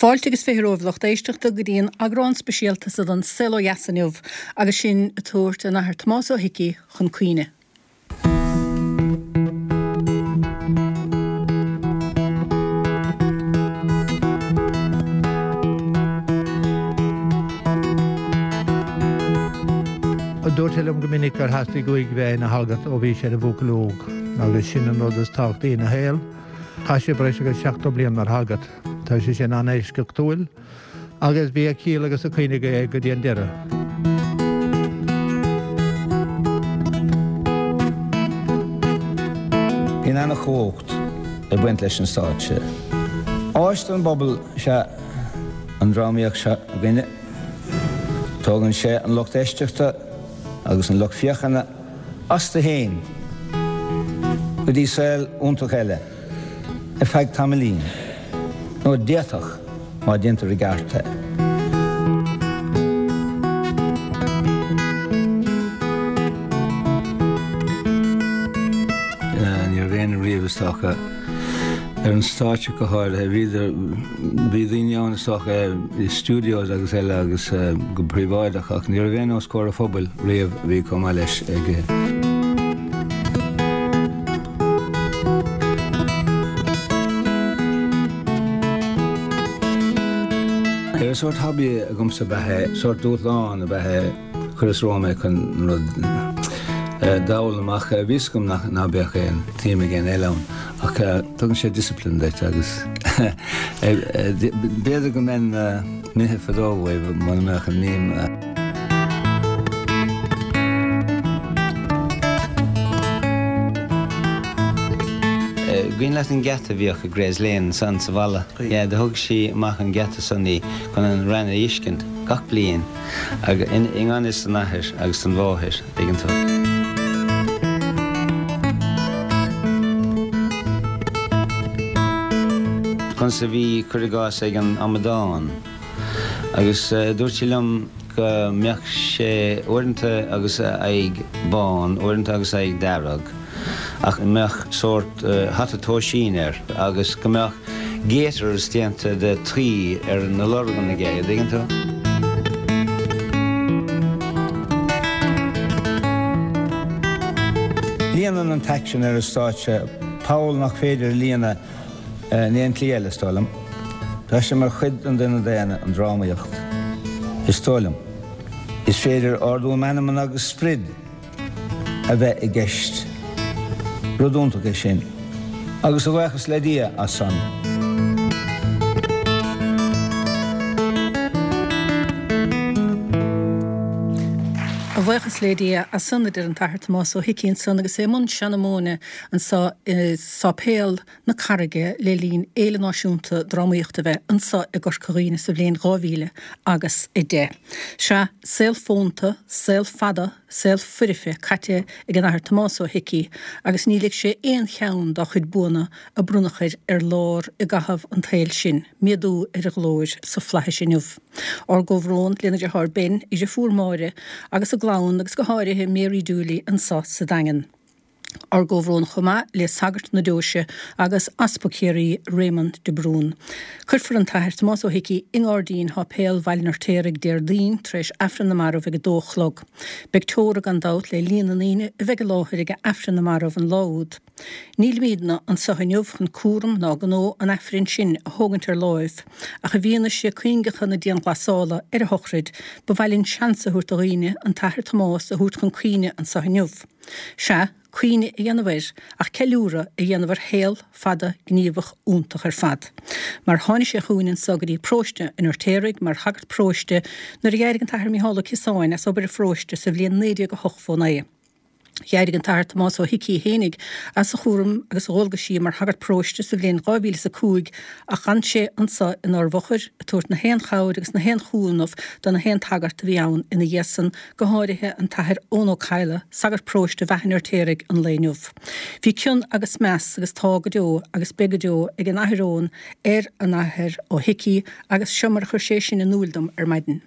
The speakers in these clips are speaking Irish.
Fáilte agus 20 romhaibh lucht éisteachta go dtí an eagrán speisialta so den Saol Ó Dheas inniu agus sinn ag tabhairt an Athair Tomás Ó hIcí chun cuimhne. Dúirt sé liom go minic gur theastaigh uaidh bheith ina shagart ó bhí sé ina bhuachaill óg agus sin an rud is tábhachtaí ina shaol. Chaith sé breis agus 70 bliain mar shagart. Tá sé sin an-eisceachtúil agus bhí a chiall agus a cuimhne aige é go dtí an deireadh. Bíonn ana-chumhacht ag baint leis an stáitse. Áis don bpobal is ea an drámaíocht seo againne. Tógann sé an lucht éisteachta agus an lucht féachana astu féin go dtí saol iontach eile ar feadh tamaillín, nó d'fhéadfadh má déantar i gceart é. Ní raibh éinne riamh is dócha ar an stáitse go háirithe. Bhíodar, bhí daoine ann is dócha i studios agus eile agus go príobháideach ach ní raibh éinne os comhair an phobail riamh a bhí chomh maith leis ag Ar sórt hobby agamsa ab ea é, sórt dúshlán ab ea é, chuireas romham é chun an rud d'fhoghlaim ach bhí fhios agam ná beadh aon tsuim ag éinne eile ann ach tugann sé discipline duit agus b'fhéidir go mbeinn imithe fadó uaidh muna mbeadh an mím. Cuimhin leat an geata a bhíodh i Gray's Lane ansan sa bhalla? Yeah, do thug sí amach an geata san í chun an rain a fheiscint gach bliain agus i ngan fhios don athair agus don mháthair, tuigeann tú. Conas a bhí, cuir i gcás, ag an amadán. Agus dúirt sí liom go mbeadh sé uaireanta agus a aghaidh bán, uaireanta agus a aghaidh dearg, ach go mbeadh sórt hata tóisín air agus go mbeadh gaiters déanta de tuí ar na lorgan aige, an dtuigeann tú? Líonann an t-aicsean ar an stáitse poll nach féidir a líonadh In aon tslí eile, is dóigh liom. Tá sé mar chuid den duine daonna, an drámaíocht. Is dóigh liom. Is féidir ardú meanman agus sprid a bheith i gceist. Rud iontach é sin. Agus a bhuíochas le Dia as san. A bhuíochas le Dia as san, a deir an tAthair Tomás Ó hIcí ansan agus é i mbun seanmóna anso i Sáipéal na Carraige le linn Fhéile Náisiúnta Drámaíochta a bheith anso i gCorca Dhuibhne sa bhliain 2000 agus 10. Sea, saol fónta, saol fada, saol foirfe caite ag an Athair Tomás Ó hIcí agus ní lig sé aon cheann dá chuid buanna a bronnadh air ar lár i gcaitheamh an tsaoil sin, méadú ar a ghlóir sa Fhlaithis inniu. Ár gcomhbhrón lena dheartháir Ben, a dhriofúr Máire agus a gclann agus go háirithe Mary Dooley anso sa Daingean. Ár gcomhbhrón chomh maith le sagairt na deoise agus Easpag Chiarraí Réamonn de Brún. Cuirfear an tAthair Tomás Ó hIcí i nGairdín Sháipéal Bhaile an Fheirtéaraigh Déardaoin tar éis Aifreann na Marbh ag 2 a chlog. Beidh teora gan dabht le líon na ndaoine a bheidh i láthair ag Aifreann na Marbh an lá úd. Nílimídne anso inniu chun cúram ná gnó an Aifrinn sin a thógaint ar láimh, ach i bhfianaise cuingeacha na dianghlasála ar a shochraid, ba mhaith linn seans a thabhairt do dhaoine an tAthair Tomás a thabhairt chun cuimhne anso inniu. Sea, cuimhne a dhéanamh air, ach ceiliúradh a dhéanamh ar shaol fada gníomhach iontach ar fad. Mar tháinig sé chugainn anso go dtí paróiste an Fheirtéaraigh mar shagart paróiste nuair a d'éirigh an tAthair Micheál Ó Ciosáin as obair an pharóiste sa bhliain 1989. D'éirigh an tAthair Tomás Ó hIcí fhéinig as a chúram agus a dhualgaisí mar shagart paróiste sa bhliain 2005 ach d'fhan sé anso inár bhfochair ag tabhairt na haon chabhair agus na haon chúnamh do na haon tsagart a bhí ann ina dhiaidh san go háirithe an tAthair Eoin Ó Cadhla, sagart paróiste Bheatha an Fheirtéaraigh an lae inniu. Bhí cion agus meas, agus tá go deo agus beidh go deo, ag an Athair Eoin ar an Athair Ó hIcí agus seo mar a chuir sé sin in úil dom ar maidin.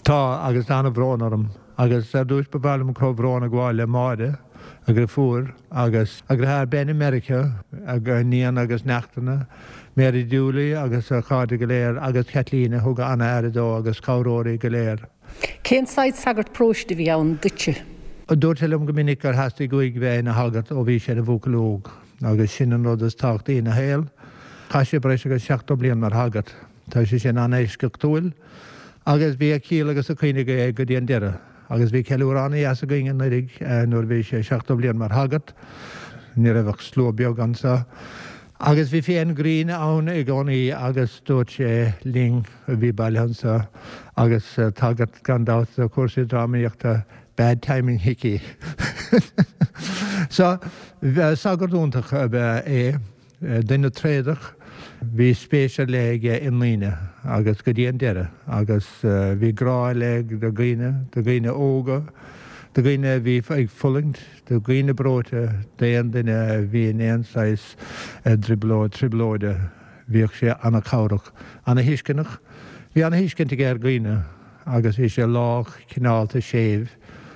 Tá, agus tá an-bhrón orm. Agus ar dtúis ba mhaith liom comhbhrón a ghabháil le Máire, a dhriofúr, agus a dhriotháir Ben i Meiriceá, a iníon agus neachtanna. Mary Dooley agus a chairde go léir agus Kathleen a thug an-aire dó agus cabhróirí go léir. Cén saghas sagart paróiste a bhí ann duitse? Dúirt sé liom go minic gur theastaigh uaidh bheith ina shagart ó bhí sé ina bhuachaill óg agus sin an rud is tábhachtaí ina shaol. Chaith sé breis agus 70 bliain mar shagart. Tá sé sin an-eisceachtúil agus bhí a chiall agus a cuimhne aige go dtí an deireadh. Agus bhí ceiliúradh an-dheas againn anuraidh nuair a bhí sé 70 bliain mar shagart. Ní raibh ach slua beag anseo. Agus bhí féith grinn ann i gcónaí agus dúirt sé linn a bhí bailithe anseo agus tagairt gan dabht do chúrsaí drámaíochta, bad timing Hickey. So, sagart iontach ab ea é. Duine tréadach, bhí spéis ar leith aige i ndaoine agus go dtí an deireadh agus bhí grá ar leith do dhaoine, do dhaoine óga, do dhaoine a bhí ag fulaingt, do dhaoine breoite, d'aon duine a bhí in aon saghas trioblóid, trioblóide, bhíodh sé an-chabhrach, an-thuisceanach. Bhí an-thuiscint aige ar dhaoine. Agus bhí sé lách, cineálta, séimh.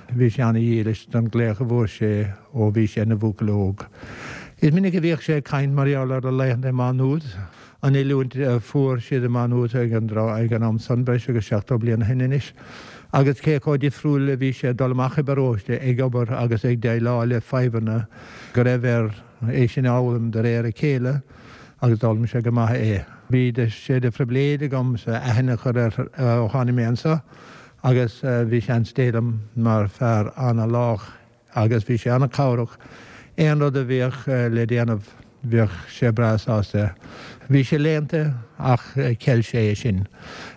Bhí sé ana-dhílis don ghlaoch a bhfuair sé ó bhí sé ina bhuachaill óg. Is minic a bhíodh sé ag caint mar gheall ar a laethanta i Má Nuad, an oiliúint a fuair siad i Má Nuad ag an ag an am san, breis agus 70 bliain ó shin anois, agus cé chomh difriúil a bhí sé ag dul amach i bparóiste ag obair agus ag déileáil le fadhbanna go raibh air é sin a fhoghlaim de réir a chéile. agus d'fhoghlaim sé go maith é. Bhí sé de phribhléid agamsa aithne a chur air ó tháinig mé anseo agus bhí seans Dé liom mar fear ana-lách agus bhí sé ana-chabhrach. Aon rud a bhíodh le déanamh bhíodh sé breá sásta. Bhí sé léannta ach cheil sé é sin.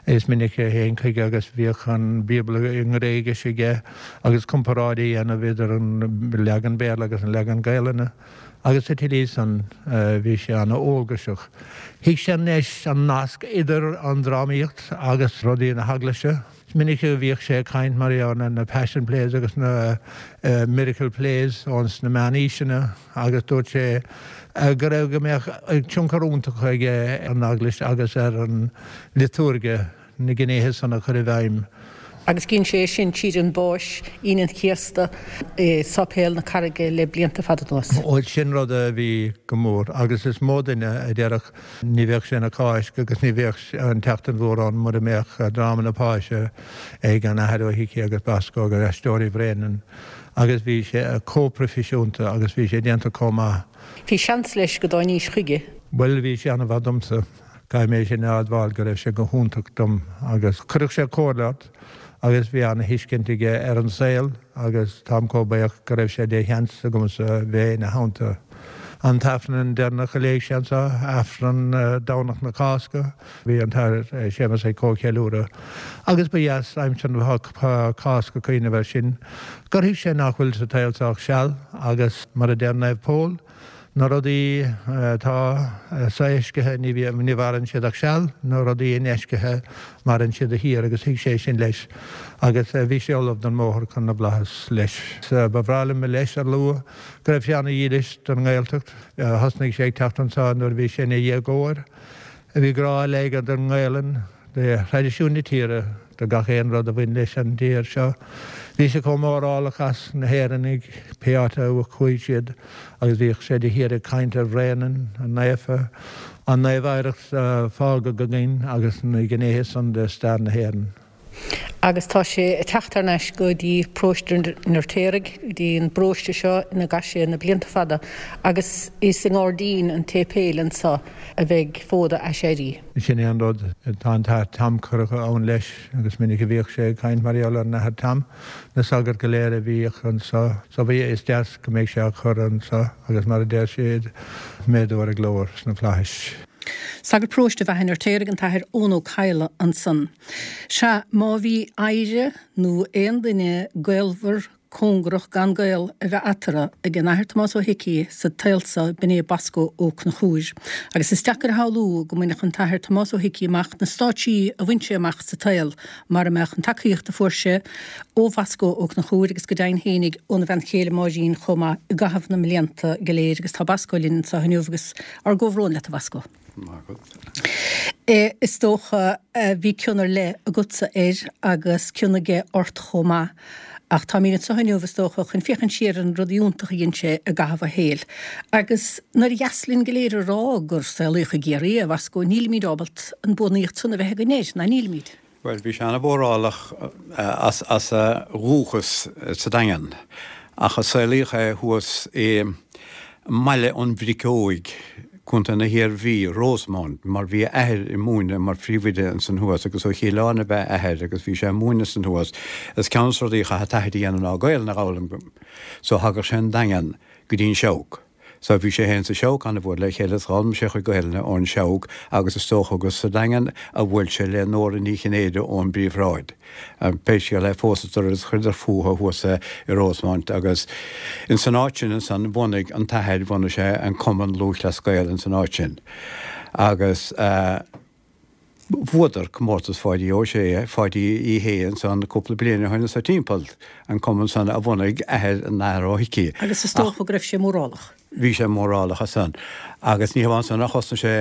Is minic a théinn chuige agus bhíodh an Bíobla i nGréigis aige agus comparáid a dhéanamh idir an leagan Béarla agus an leagan Gaelainne. Agus sa tslí san bhí sé ana-eolgaiseach. Thuig sé anois an nasc idir an drámaíocht agus rudaí na heaglaise. Is minic a bhíodh sé ag caint mar gheall ar na Passion Plays agus na Miracle Plays ós na meánaoiseanna agus dúirt sé go raibh go mbeadh tionchar iontach aige ar an eaglais agus ar an liotúirge. na gnéithe san a chur i bhfeidhm. Agus dhein sé é sin tríd an bPáis, Aoine an Chéasta, i Sáipéal na Carraige le blianta fada anuas. Bhuel, sin rud a bhí go mór agus is mó duine a déarfadh ní bheadh sé ina Cháisc agus ní bheadh an tSeachtain Mhór ann mura mbeadh dráma na Páise ag an Athair Ó hIcí agus Bosco agus Aisteoirí Bhréanainn agus bhí sé chomh proifisiúnta agus bhí sé déanta chomh maith. Bhí seans leis go dtáinís chuige. Bhuel, bhí sé an-mhaith domsa. Caithfidh mé sin a admháil go raibh sé go hiontach dom agus chuirfeadh sé comhairle ort agus bhí ana-thuiscint aige ar an saol agus táim chomh buíoch go raibh sé de sheans agamsa bheith ina theannta. An t-Aifreann deireanach a léigh sé anseo, Aifreann Domhnach na Cásca, bhí an tAthair Séamus ag comhcheiliúradh agus ba dheas aimsir na Cásca cuimhneamh air sin, gur thuig sé nach bhfuil sa tsaol seo ach seal agus mar a deir Naomh Pól, Na rudaí atá sofheiscithe ní mhaireann siad ach seal, na rudaí infheiscithe maireann siad de shíor agus thuig sé sin leis agus bhí sé ullamh don mbóthar chun na bhflaitheas leis. Ba bhreá liom leis a lua go raibh sé ana-dhílis don nGaeltacht. Thosnaigh sé ag teacht anseo nuair a bhí sé ina dhéagóir. Bhí grá ar leith aige don nGaelainn. Do thraidisiún na tíre, do gach aon rud a bhain leis an dtír seo. Bhí sé chomh mórálach as na hÉireannaigh, pé áit a chuaigh siad, agus bhíodh sé de shíor ag caint ar Bhréanainn naofa, an naomh-oidhreacht a fágadh againn agus na gnéithe san de stair na hÉireann. Agus tá sé ag teacht thar n-ais go dtí Paróiste an Fheirtéaraigh, go dtí an bparóiste seo ina gcaith sé na blianta fada, agus is i ngairdín an tséipéil anso a bheidh fód a aiséirí. Sin é an rud. Tá an tAthair Tom curtha ann leis agus is minic a bhíodh sé ag caint mar gheall ar an Athair Tom, na sagairt go léir a bhíodh anso. So bhí, is deas go mbeidh sé á chur anso agus mar a deir siad, méadú ar a ghlóir sna flaithis. Sagart paróiste Bheatha an Fheirtéaraigh, an tAthair Eoin Ó Cadhla ansan. Sea, má bhí oidhre nó aon duine gaolmhar, cóngarach gan gaol a bheith eatarthu ag an Athair Tomás Ó hIcí sa tsaol so b'in é Boscó Ó Conchúir. Agus is deacair a shamhlú go mbainfeadh an tAthair Tomás Ó hIcí amach na stáitsí a bhain sé amach sa tsaol mara mbeadh an tacaíocht a fuair sé ó Bhoscó Ó Conchúir agus go deimhin fhéinig óna bhean chéile Máirín chomh maith i gcaitheamh na mblianta go léir. Agus tá Boscó linn anseo inniu agus ár gcomhbhrón leat a Bhoscó. Is dócha, bhí cion ar leith agatsa air agus cion aige ort chomh maith. Ach táimid anseo inniu, is dócha, chun féachaint siar ar an rud iontach a dhein sé i gcaitheamh a shaoil. Agus nár dheas linn go léir a rá gur saolaíodh i gCiarraí é, a Bhasco, nílimid ábalta an buannaíocht san a bheith againn air, ná nílimid? Bhuel, bhí sé an-mhórálach as a dhúchas sa Daingean, ach a saolaíodh é thuas i mBaile an Bhric Óig, Contae na hIarmhí, Rosemount, mar bhí a athair ag múineadh mar phríomhoide ansan thuas agus ó Chill Airne ab ea a athair agus bhí sé ag múineadh ansan thuas. Is ceann des na rudaí a chaith an t-athair a dhéanamh ná Gaelainn a dh'fhoghlaim so thagadh sé an Daingean go dtí an Seabhac. So bhí sé féin sa Seabhac an-mhór le chéile is d'fhoghlaim sé a chuid Gaelainne ón Seabhac agus is dócha gur sa Daingean a bhuail sé le Nóra Ní Chinnéide ón bPríomhshráid. Pé scéal é phósadar agus chuireadar fúthu thuas i Rosemount agus ins an áit sin ansan bhunaigh an t-athair, bhunaigh sé an Cumann Lúthchleas Gael ins an áit sin agus bhuadar comórtas Pháidí Ó Sé, Pháidí Uí Shé ansan cúpla bliain ó shin anso timpeall, an cumann san a bhunaigh athair an Athar Ó hIcí. Agus is dócha go raibh sé mórálach. Bhí sé mórálach as san. Agus ní hamháin san ach thosnaigh sé,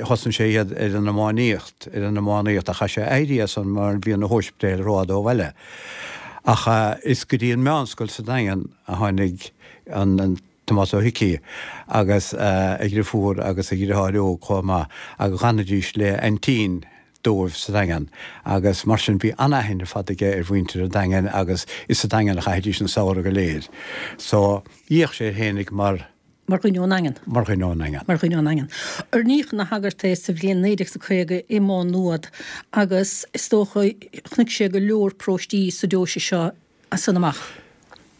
thosnaigh sé iad ar an iománaíocht, ar an iománaíocht ach chaith sé éirí as san mar bhí na hóispidéil rófhada ó bhaile. Ach is go dtí an meánscoil sa Daingean a tháinig an Tomás Ó hIcí agus a dhriofúr agus a dhriotháir óg chomh maith agus dh'fhanaidís le aintín dóibh sa Daingean agus mar sin bhí an-aithne ar fad aige ar mhuintir an Daingin agus is sa Daingean a chaithidís an samhradh go léir. So, d'fhéach sé air fhéinig mar. Mar dhuine ón nDaingean. Mar dhuine ón nDaingean. Mar dhuine ón nDaingean. Oirníodh ina shagart é sa bhliain 1950 i Má Nuad agus is dócha chonaic sé go leor paróistí sa deoise seo as san amach.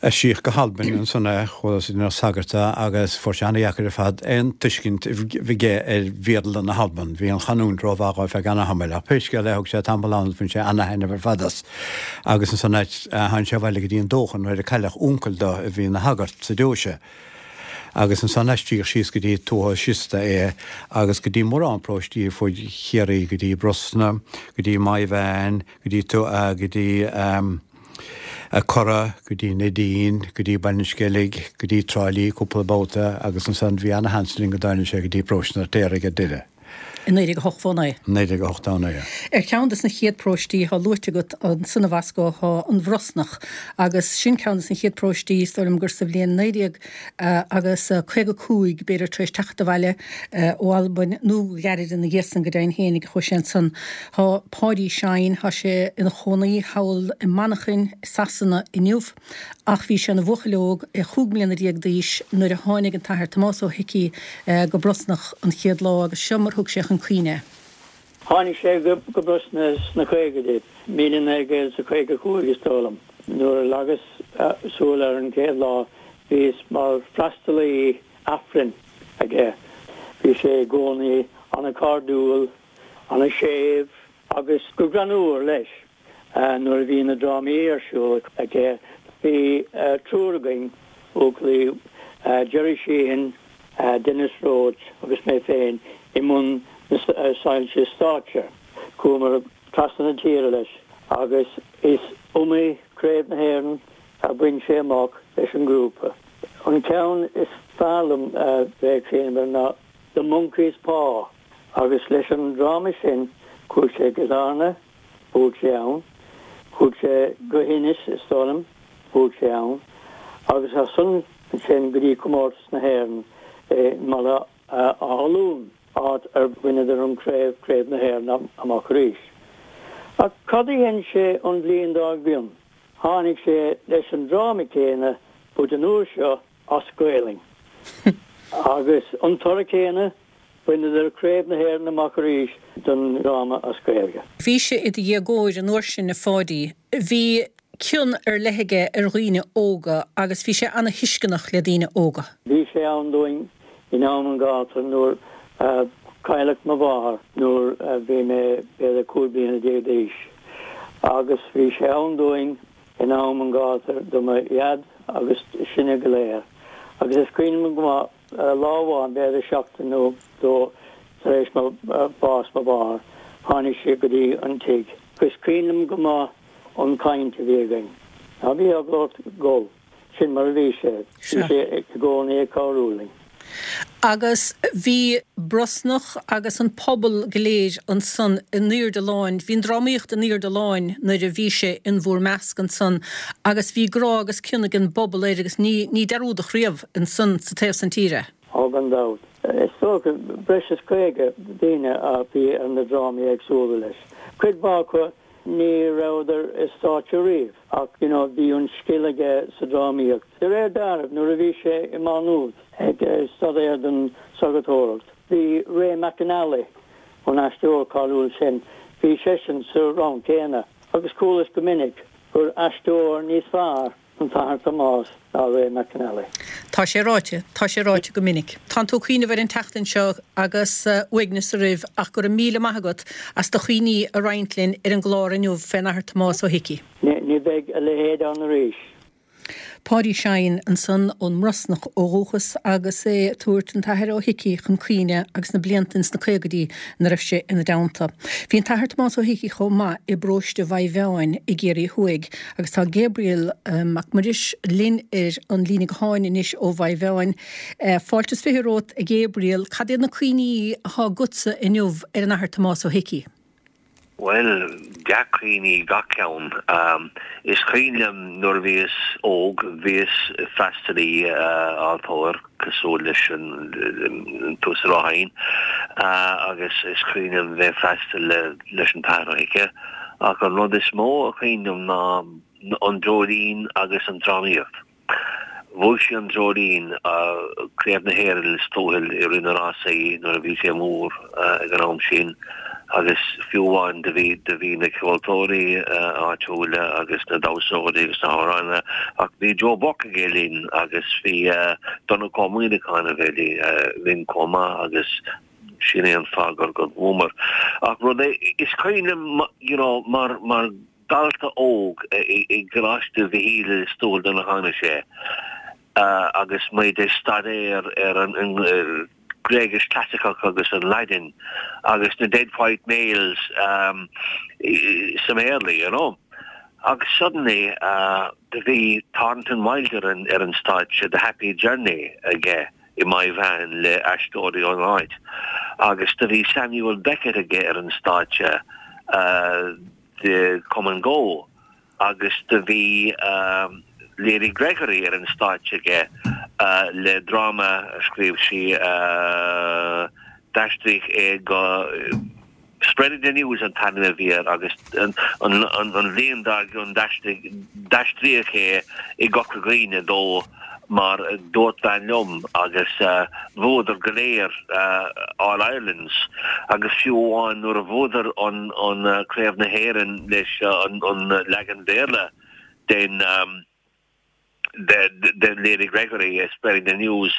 Aistríodh go hAlbain ansan é, chuala ina shagart agus fuair sé ana-dheacair ar fad aon tuiscint a bheith aige ar Bhéarla na hAlban. Bhí an chanúint rómhaith dhó ar feadh ana-thamaill, ach pé scéal é thug sé tamall ann agus bhain sé ana-thaitneamh ar fad as. Agus ansan tháinig sé abhaile go dtí an Dóchan nuair a cailleadh uncail do a bhí ina shagart sa deoise. Agus ansan aistríodh síos go dtí Tuathal Siosta é agus go dtí mórán paróistí ar fuaid Chiarraí, go dtí Brosna, go dtí Maigh Mheáin, go dtí go dtí Corra, go dtí Neidín, go dtí Baile an Sceilg, go dtí Trá Lí cúpla babhta agus ansan bhí ana-sheans linn go dtáinig sé go dtí Paróiste an Fheirtéaraigh ar deireadh. I 1989. 1989. Ar cheann de na chéad paróistí atá luaite agat ansan a Bhasco tá an Bhrosnach agus sin ceann de na chéad paróistí, is dóigh liom gur sa bhliain 19 agus 55, b'fhéidir tar éis teacht abhaile ó Albain nó go gairid ina dhiaidh san go deimhin fhéinig a chuaigh sé ansan. Tá Páidí Shine, tá sé ina chónaí thall i Manchain i Sasana inniu ach bhí sé ina bhuachaill óg, é chúig mbliana déag d'aois nuair a tháinig an tAthair Tomás Ó hIcí go Brosnach an chéad lá agus seo mar thug sé chun cuimhne é. Tháinig sé go Brosna sna caogaidí, 1955 is dóigh liom. Nuair a leagas súil air an chéad lá bhíos mar freastalaí Aifrinn aige. Bhí sé i gcónaí an-chairdiúil, an-séimh agus go greannmhar leis. Nuair a bhí na drámaí ar siúl aige bhí triúr againn, buachaillí, Gerry Sheehan, Denis Roche agus mé féin, i mbun na soilse stáitse. Chuamar trasna na tíre leis agus is iomaí Craobh na hÉireann a bhain sé amach leis an ngrúpa. An ceann is fearr liom a bheith ag cuimhneamh air ná The Monkey's Paw agus leis an dráma sin chuaigh sé go Larna, bhuaigh sé ann. Chuaigh sé go hInis, is dóigh liom, bhuaigh sé ann. Agus as san ansin go dtí Comórtas na hÉireann i mBaile Átha Luain, áit ar bhaineadar an craobh, Craobh na hÉireann, amach arís. Ach cad a dhein sé an bhliain dár gcionn? Tháinig sé leis an dráma céanna but an uair seo as Gaelainn. Agus an toradh céanna, bhaineadar Craobh na hÉireann amach arís don dráma as Gaeilge. Bhí sé i do dhéagóir an uair sin, a Pháidí. Bhí cion ar leith aige ar dhaoine óga agus bhí sé ana-thuisceanach le daoine óga. Bhí sé ann dúinn in am an ghátair nuair a cailleadh mo mháthair nuair a bhí mé b'fhéidir 15 bliana d'aois agus bhí sé ann dúinn in am an ghátair do mo dhaid agus sinne go léir agus is cuimhin liom go maith lá amháin b'fhéidir seachtain nó dó tar éis mo bhás mo mháthar tháinig sé go dtí an tigh agus cuimhin liom go maith an chaint a bhí againn. Ná bí eagla ort gol. Sin mar a bhí sé. Bhí sé i gcónaí ag cabhrú linn. Agus bhí Brosnach agus an pobal go léir ansan in airde láin, bhí an drámaíocht in airde láin nuair a bhí sé in bhúr measc ansan agus bhí grá agus cion ag an bpobal air agus ní, ní dearúdadh riamh ansan sa taobh san tíre. Ó gan dabht. Is dócha breis is 50 daoine a bhí ar na drámaí éagsúla leis. Cuid mhaith acu ní rabhadar ar stáitse riamh ach you know bhí an scil aige sa drámaíocht. De réir dealraimh nuair a bhí sé i Má Nuad ag staidéar don sagartóireacht bhí Ray McAnally, an aisteoir cáiliúil sin, bhí seisean sa rang céanna agus chualas go minic gur aisteoir níos fearr an tAthair Tomás ná Ray McAnally. Tá sé ráite, tá sé ráite go minic. Tánn tú ag cuimhneamh air an tseachtain seo agus uaigneas oraibh ach go raibh míle maith agat as do chuimhní a roinnt linn ar an gclár inniu fén Athair Tomás Ó hIcí. Ní bheidh a leithéid ann arís. Páidí Shine ansan ón mBrosnach ó dhúchas agus é ag tabhairt an tAthair Ó hIcí chun cuimhne agus na blianta ins na caogaidí ina raibh sé ina dteannta. Bhí an tAthair Tomás Ó hIcí chomh maith i bparóiste Mhaigh Mheáin i gCiarraí Thuaidh Agus tá Gabriel Mac Muiris linn ar an líne gutháin anois ó Mhaigh Mheáin. Fáilte is 20 romhat, a Ghabriel. Cad iad na cuimhní atá agatsa inniu ar an Athair Tomás Ó hIcí? Bhuel, dea-chuimhní gach ceann. Is cuimhin liom nuair a bhíos óg, bhíos freastalaí altóir cosúil leis an tUasal Ó hEidhin agus is cuimhin liom bheith ag freastal leis an tAthair Ó hIcí. Ach an rud is mó a cuimhin liom ná an Dreoilín agus an drámaíocht. Bhuaigh sé an Dreoilín, Craobh na hÉireann Lios Tuathail i rith na rásaí nuair a bhí sé mór ag an am sin agus fiú amháin do bhí do bhí na ceoltóirí áitiúla agus na damhsóirí agus na hamhránaithe ach bhí Joe Burke aige linn agus bhí Donncha Ó Muíneacháin a bheith linn chomh maith agus Sin é an fáth gur gur bhuamar. Ach rud é, is cuimhin liom you know mar mar dhalta óg i gColáiste Mhichíl i Lios Tuathail nuair a tháinig sé agus muid ag staidéar ar an Gréigis Clasaiceach agus an Laidin agus na Dead White Males sa mBéarla, you know. Agus suddenly do bhí Thornton Wilder ar an stáitse, The Happy Journey aige. i Maigh Mheáin le aisteoirí ón áit agus do bhí Samuel Beckett aige ar an stáitse The Come and Go agus do bhí Lady Gregory ar an stáitse aige le dráma a scríobh sí d'aistríodh é go Spreading the News an t-ainm a bhí air agus an bhliain dár gcionn d'aistríodh é i gCorca Dhuibhne dó mar Dúirt Bean Liom agus bhuadar go léir All Irelands agus fiú amháin nuair a bhuadar an Craobh na hÉireann leis an leagan Béarla den de Lady Gregory, Spreading the News,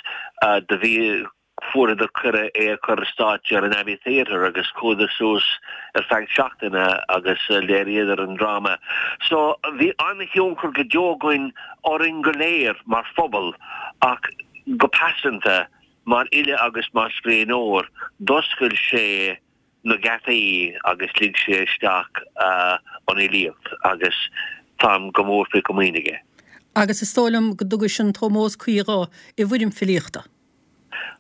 do bhí Fuaireadar cuireadh é a chur ar stáitse ar an Abbey Theatre agus chuadar suas ar feadh seachtaine agus léiríodar an dráma. So bhí an-thionchar go deo againn orainn go léir mar phobal ach go pearsanta mar fhile agus mar scríbhneoir d'oscail sé na geataí agus lig sé isteach an fhilíocht agus táim go mór faoi chomaoin aige. Agus is dóigh liom go dtugais an t-ómós cuí dho i bhfoirm filíochta.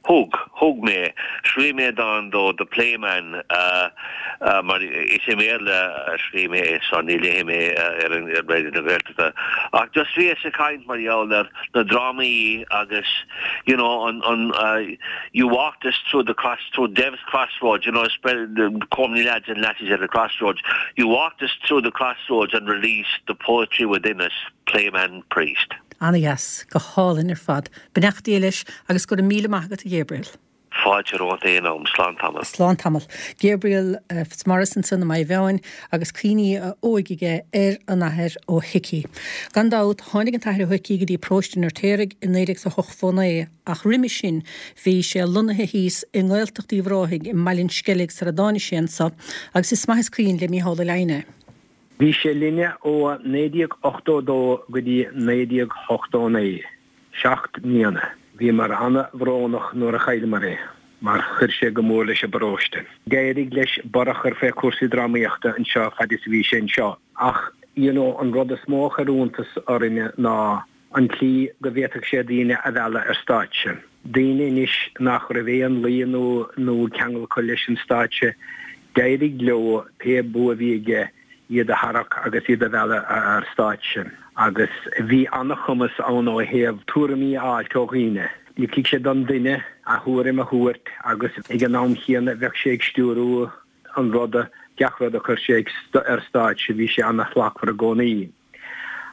Thug. Thug mé. Scríobh mé dán dó, The Playman, mar is i mBéarla a scríobh mé é so ní léifidh mé ar an Raidió na Gaeltachta. Ach just bhíos ag caint mar gheall ar na drámaí agus you know an an you walked us through the cross through Dev's crossroads, you know the comely lads and lassies at the crossroads, you walked us through the crossroads and released the poetry within us, Playman Priest. Ana-dheas. Go hálainn ar fad. Beannacht Dé leis agus go raibh míle maith agat a Ghabriel. Fáilte romhat aon am. Slán tamall. Slán tamall. Gabriel Fitzmaurice ansan i Maigh Mheáin agus cuimhní a óige aige ar an Athair Ó hIcí. Gan dabht, tháinig an tAthair Ó hIcí go dtí paróiste an Fheirtéaraigh i 1989 ach roimhe sin bhí sé lonnaithe thíos i nGaeltacht Uíbh Ráthaigh i mBaile an Sceilg sara dtáinig sé anso agus is maith is cuimhin le Mícheál Ó Leidhin é. Bhí sé linne ó 1982 go dtí 1989, seacht mbliana. Bhíomar ana-bhrónach nuair a chailleamar é, mar chuir sé go mór leis an bparóiste. D'éirigh leis borradh a chur fé cúrsaí drámaíochta anseo fad is a bhí sé anseo. Ach, you know, an rud is mó a chuir iontas orainne ná an tslí go bhféadfadh sé daoine a mhealladh ar stáitse. Daoine anois nach raibh aon luí nó nó ceangal acu leis an stáitse, d'éirigh leo pé bua a bhí aige iad a tharrac agus iad a mhealladh ar stáitse. Agus bhí an-chumas ann ó thaobh tuairimí a fháilt ó dhaoine. Ligfeadh sé don duine a thuairim a thabhairt agus ag an am chéanna bheadh sé ag stiúrú an ruda, gach rud a chuir sé ar stáitse, bhí sé an-shlachtmhar i gcónaí.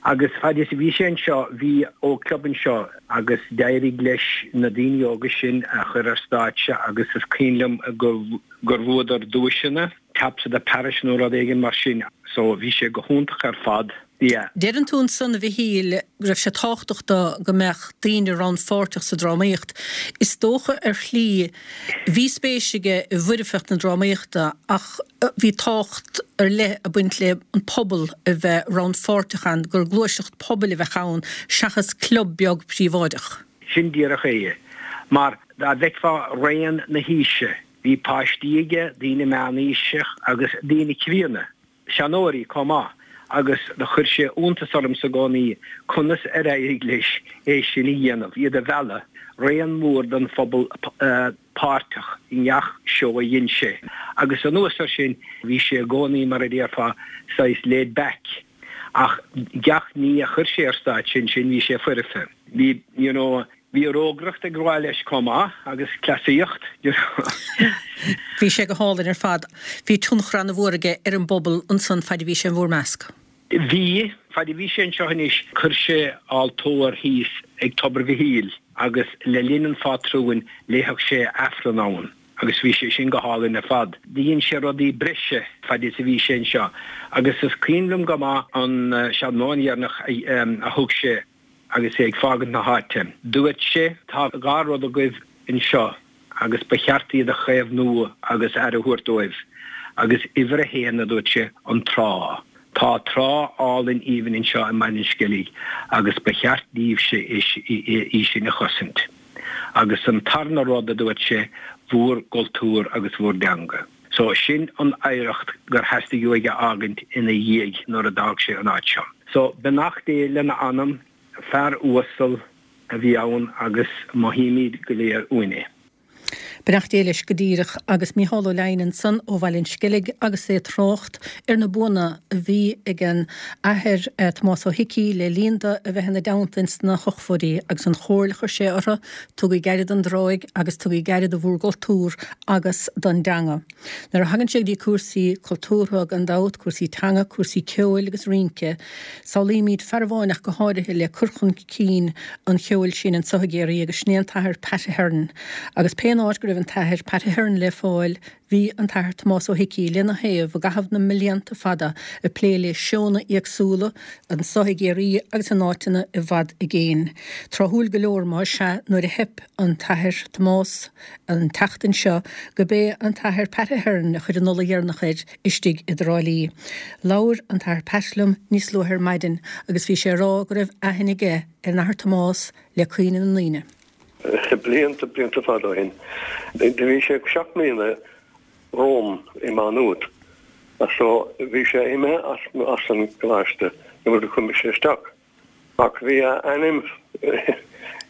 Agus fad is a bhí sé anseo, bhí ógchlub anseo agus d'éirigh leis na daoine óga sin a chur ar stáitse agus is cuimhin liom gur bhuadar duaiseanna, Taps of the Parish nó rud éigin mar sin. So bhí sé go hiontach ar fad. Yeah. Deireann tú ansan, a Mhichíl, go raibh sé tábhachtach dó go mbeadh daoine rannpháirteach sa drámaíocht. Is dócha ar shlí, bhí spéis aige i bhfoirfeacht na drámaíochta ach bhí tábhacht ar leith ag baint le an pobal a bheith rannpháirteach ann, gur gluaiseacht pobail a bheadh ann seachas club beag príobháideach. Sin díreach é. Mar dá bhfeicfeá raon na haoise, bhí páistí aige, daoine meánaoiseach agus daoine críonna. seanóirí chomh maith agus do chuir sé iontas ormsa i gcónaí conas ar éirigh leis é sin a dhéanamh, iad a mhealladh, raon mór den phobal páirteach i ngach seó a dhein sé. Agus anuas ar sin, bhí sé i gcónaí, mar a déarfá, saghas laid back, ach gach ní a chuir sé ar stáitse ansin, bhí sé foirfe. Bhí, you know, Bhí rógaireacht ag gabháil leis chomh maith agus cleasaíocht, you know. Bhí sé go hálainn ar fad. Bhí tionchar ana-mhór aige ar an bpobal ansan faid a bhí sé in bhúr measc. Bhí. Faid a bhí sé anseo anois chuir sé altóir thíos ag Tobar Mhichíl agus le linn an phátrúin léifeadh sé Aifreann ann agus bhí sé sin go hálainn ar fad. Dhein sé rudaí breise faid is a bhí sé anseo agus is cuimhin liom go maith an seanmóin dheireanach a thug sé Agus é ag fágaint na háite, dúirt sé, Tá dha rud agaibh anseo agus ba cheart iad a chaomhnú agus aire a thabhairt dóibh. Agus uimhir a haon, a dúirt sé, an trá. Tá trá álainn aoibhinn anseo i mBaile an Sceilg agus ba cheart daoibhse í sin a chosaint. Agus an tarna rud, a dúirt sé, bhúr gcultúr agus bhúr dteanga. So, sin an oidhreacht gur theastaigh uaidh a fhágaint ina dhiaidh nuair a d'fhág sé an áit seo. So, beannacht Dé lena anam, fear uasal a bhí ann agus mothaímid go léir uainn é. Beannacht Dé leis go díreach. Agus Mícheál Ó Leidhin ansan ó Bhaile an Sceilg agus é ag trácht ar na buanna a bhí ag an Athair Tomás Ó hIcí le linn do a bheith ina dteannta ins na hochtóidí agus an chomhairle a chuir sé orthu, tugaig aire don dtráigh agus tugaig aire do bhúr gcultúr agus don dteanga. Nuair a thagann sé go dtí cúrsaí cultúrtha, gan dabht, cúrsaí teanga, cúrsaí ceoil agus rince, samhlaímid fear amháin ach go háirithe le cur chun cinn an cheoil sin anso i gCiarraí agus sin é an tAthair Pat Ahern. Agus pén áit go raibh an tAthair Pat Ahern le fáil, bhí an tAthair Tomás Ó hIcí lena thaobh i gcaitheamh na mblianta fada ag plé le seónna éagsúla anso i gCiarraí agus in áiteanna i bhfad i gcéin. Tráthúil go leor más ea nuair a theip an tAthair Tomás an tseachtain seo go b'é an tAthair Pat Ahern a chuir an ola dheireanach air istigh i dTrá Lí. Labhair an tAthair Pat liom níos luaithe ar maidin agus bhí sé ag rá go raibh aithne aige ar an Athair Tomás le cuimhne na ndaoine. Blianta, blianta fada ó shin, do bhí sé seacht mbliana romham i Má Nuat, so bhí sé imithe as an gcoláiste nuair a chuaigh mise isteach. Ach bhí a ainm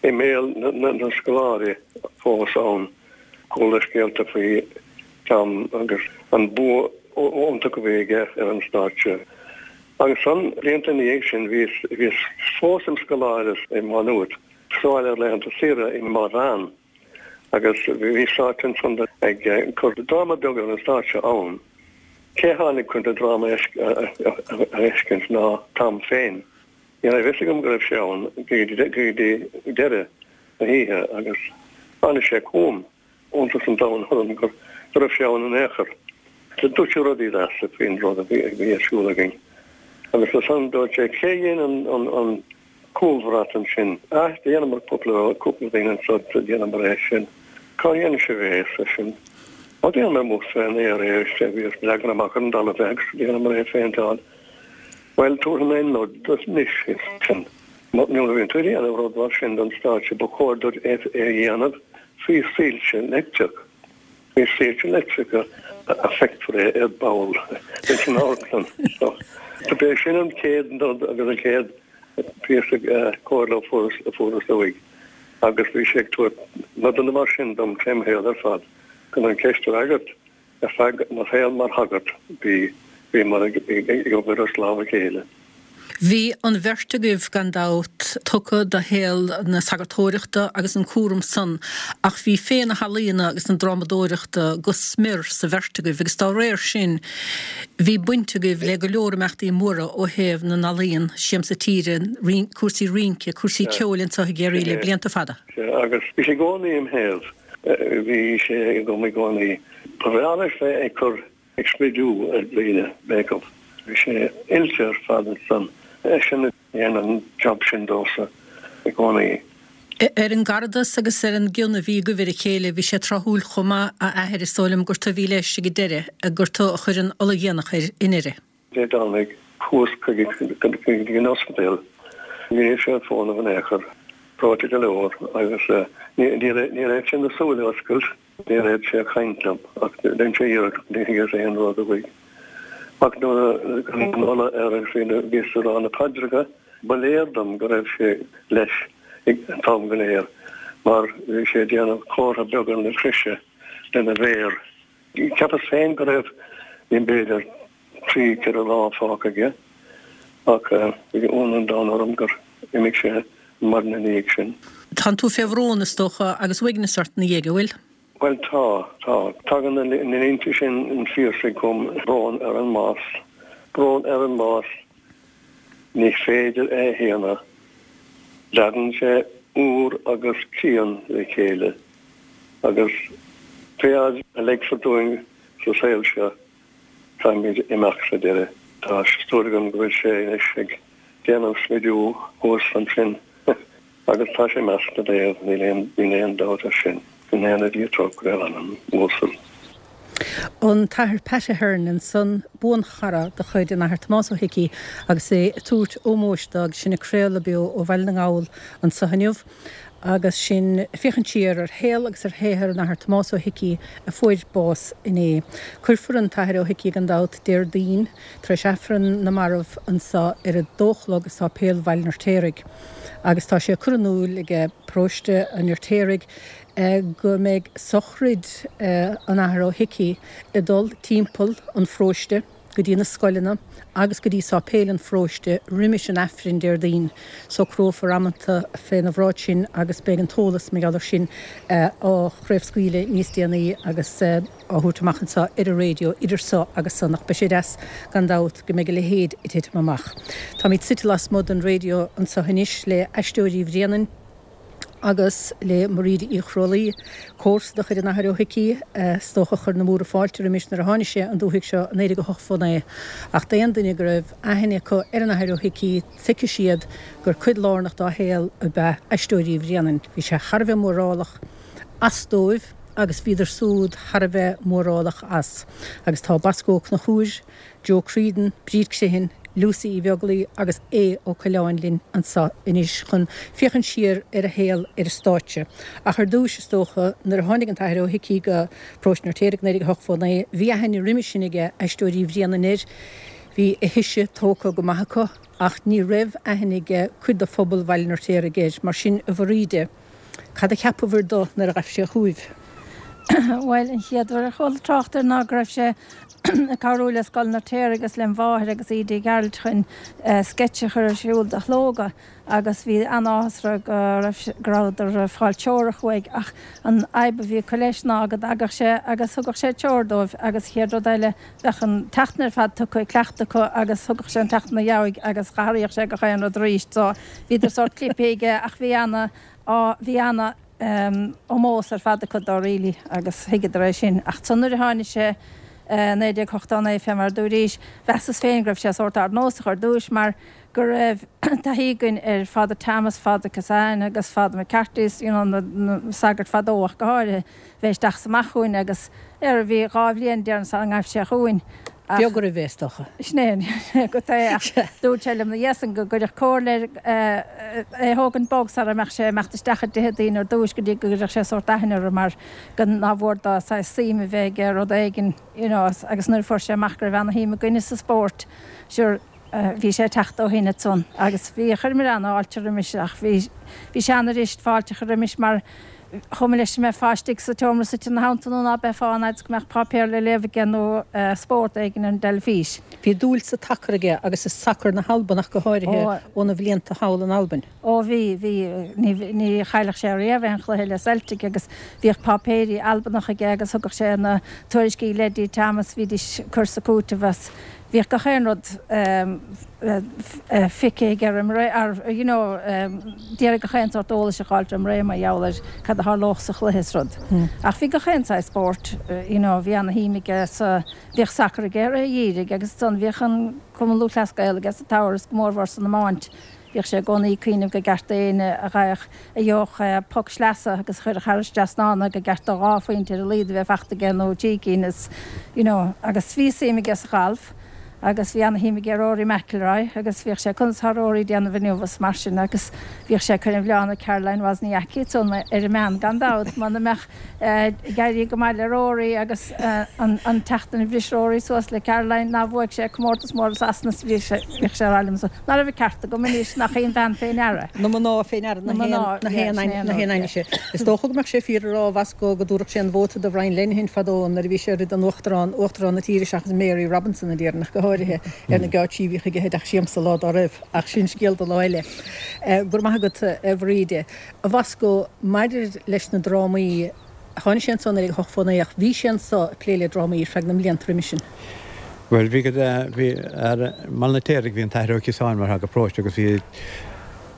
i mbéal na scoláirí fós ann. Chuala scéalta faoi Tom agus an bua iontach a bhí aige ar an stáitse. Ansan, blianta ina dhiaidh sin, bhíos fós im scoláire i Má Nuat, sa bhaile ar laethanta saoire i mBaile Mheáin agus bhí stáitse ansan ag cur dráma beag ar an stáitse ann. Cé tháinig chun an dráma a fheiscint ná Tom féin. Ní raibh fhios agam go raibh sé ann go dtí deireadh na hoíche agus tháinig sé chugam, iontas an domhain orm go raibh sé ann in aon chor. Dúirt sé rudaí deasa faoin rud a bhí ar siúl againn agus ansan dúirt sé cé dhein an cúlbhrat ansin. Ah, dheineamar cúpla, cúpla duine anso, dheineamar é sin. Cá dhein sibh é, ar seisean. Ó, dheineamar amuigh fén aer é, sea, bhí leagan amach ar an dtalamh é agus dheineamar é a phéinteáil. Bhuel, tabharfaidh mé nod duit anois, ar seisean. Nuair a bhíonn tú ag déanamh rud mar sin don stáitse, ba chóir duit é a dhéanamh faoi soilse leictreach. Faoi soilse leictreacha a feicfear é ar ball ins an amharclann. So, b'é sin an chéad nod agus an chéad phíosa comhairle a fuaireas uaidh. Agus bhí sé ag tabhairt nodanna mar sin dom trém shaol ar fad. Chun an cheist a fhreagairt, ar feadh mo shaol mar shagart, bhí, bhíomar ag obair as lámh a chéile. Bhí an bheirt agaibh, gan dabht, tugtha do shaol na sagartóireachta agus an cúram san, ach bhí féith na healaíona agus na drámadóireachta go smior sa bheirt agaibh agus dá réir sin bhí baint agaibh le go leor imeachtaí móra ó thaobh na n-ealaíon, Siamsa Tíre, cúrsaí rince, cúrsaí ceoil anseo i gCiarraí le blianta fada. Sea, agus bhí sé i gcónaí im thaobh, bhí sé agam i gcónaí. Ba bhreá leis bheith ag cur ag smidiú ar dhaoine, make-up. Bhí sé oilte ar fad ansan. Eisean a dhein an job sin domhsa i gcónaí. Ar an gcaradas agus ar an gcion a bhí agaibh ar a chéile, bhí sé tráthúil chomh maith, a Athair, is dóigh liom gur tu a bhí leis ag an deireadh, gur tu a chuir an ola dhéanach air i nDoire. Dé Domhnaigh, chuas chuige go dtí an ospidéal. Ní raibh sé ag fónamh in aon chor. Breoite go leor agus níor fhéad sé na súile a oscailt. Níor fhéad sé caint liom ach dhein sé iarracht ach níor thuigeas aon rud uaidh. Ach nuair a cuireadh an ola air agus bhíos ag rá na paidreacha, ba léir dom go raibh sé leis an t-am go léir mar bhí sé ag déanamh comhartha beaga na croise lena mhéar. Cheapas féin go raibh b'fhéidir 3, 4 lá fágtha aige ach bhí ionadh an domhain orm gur imigh sé an maidin ina dhiaidh sin. Tánn tú fé bhrón, is dócha, agus uaigneas ort ina dhiaidh, an bhfuil? Bhuel tá, tá. Tagann na línte sin an Phiarsaigh chugam, brón ar an mbás, brón ar an mbás, ní féidir é a shéanadh, leagann sé úr agus cian le chéile agus pé fhad a leigfear dúinn sa saol seo, Caithfimid imeacht sa deireadh. Tá súil agam go bhfuil sé anois ag déanamh smidiú thuas ansin agus tá sé i measc na naomh, níl aon níl aon dabht air sin. Go ndéana Dia trócaire ar a anam uasal. An tAthair Pat Ahern ansan, buanchara de chuid an Athar Tomás Ó hIcí agus é ag tabhairt ómóis dó agus sinn ag craoladh beo ó Bhaile na nGall anso inniu. Agus sinn ag féachaint siar ar shaol agus ar shaothar an Athar Tomás Ó hIcí a fuair bás inné. Cuirfear an tAthair Ó hIcí gan dabht Déardaoin tar éis Aifreann na Marbh anso ar a dó a chlog i Sáipéal Bhaile an Fheirtéaraigh. Agus tá sé curtha in iúl ag paróiste an Fheirtéaraigh go mbeidh sochraid an Athar Ó hIcí ag dul timpeall an pharóiste. go dtí na scoileanna agus go dtí sáipéil an pharóiste roimis an Aifreann Déardaoin. Socrófar amanta féna bhráid sin agus beidh an t-eolas mar gheall ar sin á chraobhscaoileadh níos déanaí agus á thabhairt amach anseo ar an raidió idir so agus san ach beidh sé deas gan dabht go mbeidh a leithéid ag titim amach. Táimid suite lasmuigh den raidió anseo anois le Aisteoirí Bhréanainn. agus le Mairíde Uí Chrualaoi, comharsa de chuid an Athar Ó hIcí, is dócha, a chuir na múra fáilte roimis nuair a tháinig sé an dúthaigh seo i 1908 fó 9. Ach d'aon duine go raibh aithne acu ar an Athair Ó hIcí, tuigfidh siad gur cuid lárnach dá shaol ab ea Aisteoirí Bhréanainn. Bhí sé thar a bheith mórálach as dóibh agus bhíodar súd thar a bheith mórálach as. Agus tá Bosco Ó Conchúir, Joe Creedon, Bríd Criomhthain, Lucy Uí Bheaglaoi agus Aodh Ó Coileáin linn anseo anois chun féachaint siar ar a shaol ar an stáitse. Ach ar dtúis, is dócha, nuair a tháinig an tAthair Ó hIcí go Paróiste an Fheirtéaraigh 1908 fó 9, bhí aithne roimhe sin aige Aisteoirí Bhréanainn air, bhí a thise tógtha go maith acu, ach ní raibh aithne aige cuid de phobal Bhaile an Fheirtéaraigh air. Mar sin, a Mhairíde, cad a cheapabhair do nuair a ghaibh sé chugaibh? Bhuel, an chéad uair a chuala trácht air ná go raibh sé ag cabhrú le Scoil an Fheirtéaraigh agus lem mháthair agus Íde Uí Ghearailt chun sceitse a chur ar siúl do Shlógadh agus bhí an-áthas orthu go raibh go rabhadar ag fáil teorach uaidh ach an fhadhb a bhí acu leis ná go dtagadh sé agus thugadh sé treoir dóibh agus chéad rud eile bheadh an tseachtain ar fad tugtha ag cleachtadh acu agus thugadh sé an tseachtain ina dheabhaidh agus dh'athraíodh sé gach aon rud arís so bhíodar sórt clipthe aige ach bhí ana á bhí ana ómós ar fad acu dó really agus thuigeadar é sin. Ach ansan nuair a tháinig sé i 1989 fé mar a dúraís, mheasas féin go raibh sé sórt ardnósach ar dtúis mar go raibh taithí againn ar Father Thomas, Father Kissane agus Father McCarthy, you know na sagairt fadó ach go háirithe, bheith isteach is amach chugainn agus ar bhí 2 bhliain déarfainn sara ngaibh sé chugainn ach. Beag oraibh é is dócha. Sin é go é ach dúirt sé liom ina dhiaidh san go gcuirfeadh comhairle air é a thógaint bog sara mbeadh sé ag imeacht isteach i dtithe daoine ar dtúis go dtí go gcuirfeadh sé sórt aithne orthu mar go nár mhór dó saghas suim a bheith aige rud éigin you know agus nuair a fuair sé amach go raibh ana-shuim againne sa spórt sure. bhí sé ag teacht ó shin ansan agus bhí, chuireamar an-fháilte roimis ach bhí, bhí sé an-fhuirist fáilte a chur roimis mar chomh maith leis an mbeifeá istigh sa tseomra suite ina theannta nó ná beifeá an fhaid is go mbeadh páipéar le léamh aige nó spórt éigin ar an dteilifís. Bhí dúil sa tsacar aige agus i sacar na hAlban ach go háirithe óna bhlianta thall in Albain. Ó bhí, bhí, ní, ní chaillfeadh sé riamh aon chluiche le Celtic agus bhíodh páipéirí Albanacha aige agus thugadh sé na tuairiscí le Eddie Thomas, bhídís ag cur is ag cúiteamh as, bhíodh gach aon rud feicthe aige roim ré, you know, d'iarraidh gach aon sórt eolais a dh'fháilt roim ré mar gheall ar cad a tharlódh sa chluiche is rud. Ach bhí gach aon saghas spóirt, you know, bhí ana-shuim aige sa, bhíodh sacar aige ar a dhírigh agus ansan bhíodh an Cumann Lúthchleas Gael aige sa Tower is go mórmhór san iomáint. Bhíodh sé i gcónaí ag cuimhneamh gur gceart d'éinne a gheibheadh, a gheobhadh poc sleasa agus a chuirfeadh thar an trasnán é gur gceart dó dhá phointe ar a laghad a bheith fachta aige nó trí cinn is, you know. Agus bhí suim aige sa ghalf agus bhí ana-shuim aige i Rory McIlroy agus bhíodh sé conas atá Rory ag déanamh inniu is mar sin agus bhíodh sé ag cur an mhilleáin ar Caroline Wozniacki ansan ar an meán gan dabht muna mbeadh ag éirí go maith le Rory agus an tseachtain a bhris Rory suas le Caroline nár bhuaigh sé comórtas mór i Sasana is bhí sé bhíodh sé ag rá liomsa ná raibh an ceart agam anois nach í an bhean fé ndeara. Na mná fé ndeara na haon ainnise. Is dócha go mbeadh sé fíor a rá a Bhosco go dtabharfadh sé an vóta do Bhrian Lenihan fadó nuair a bhí sé ag rith don uachtarán, uachtarán na tíre seachas Mary Robinson a déarfainn ach go háirithe, ar na geáitsí a bhíodh aige i dteach siamsa lá dá raibh. Ach sin scéal do lá eile. Go raibh maith agat a Bhríde. A Bhosco, maidir leis na drámaí, tháinig sé anso in 1989 ach bhí sé anso ag plé le drámaí ar feadh na mblianta roimis sin. Bhuel, bhí go, bhí, ar mBaile an Fheirtéaraigh bhí an tAthair Ó Ciosáin mar shagart paróiste agus bhí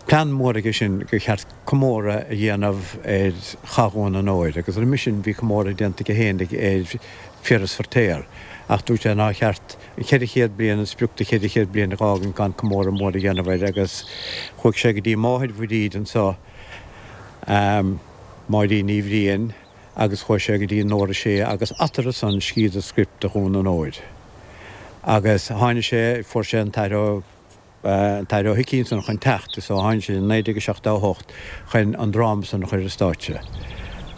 plean mór aige sin gur cheart comóradh a dhéanamh ar Chath Dhún an Óir agus roimis sin bhí comóradh déanta aige féinig ar Phiaras Feirtéar ach dúirt sé nár cheart an 400 bliain, an sprioc de 400 bliain a dh'fhágaint gan comóradh mór a dhéanamh air agus chuaigh sé go dtí máthair Bhríd anso, Máirín Ní Bhriain, agus chuaigh sé go dtí Nóra Sé agus eatarthu san scríobhadar script do Dhún an Óir. Agus tháinig sé, fuair sé an tAthair Ó. an tAthair Ó hIcí ansan chun teacht so tháinig sé in 1978 chun an dráma san a chur ar stáitse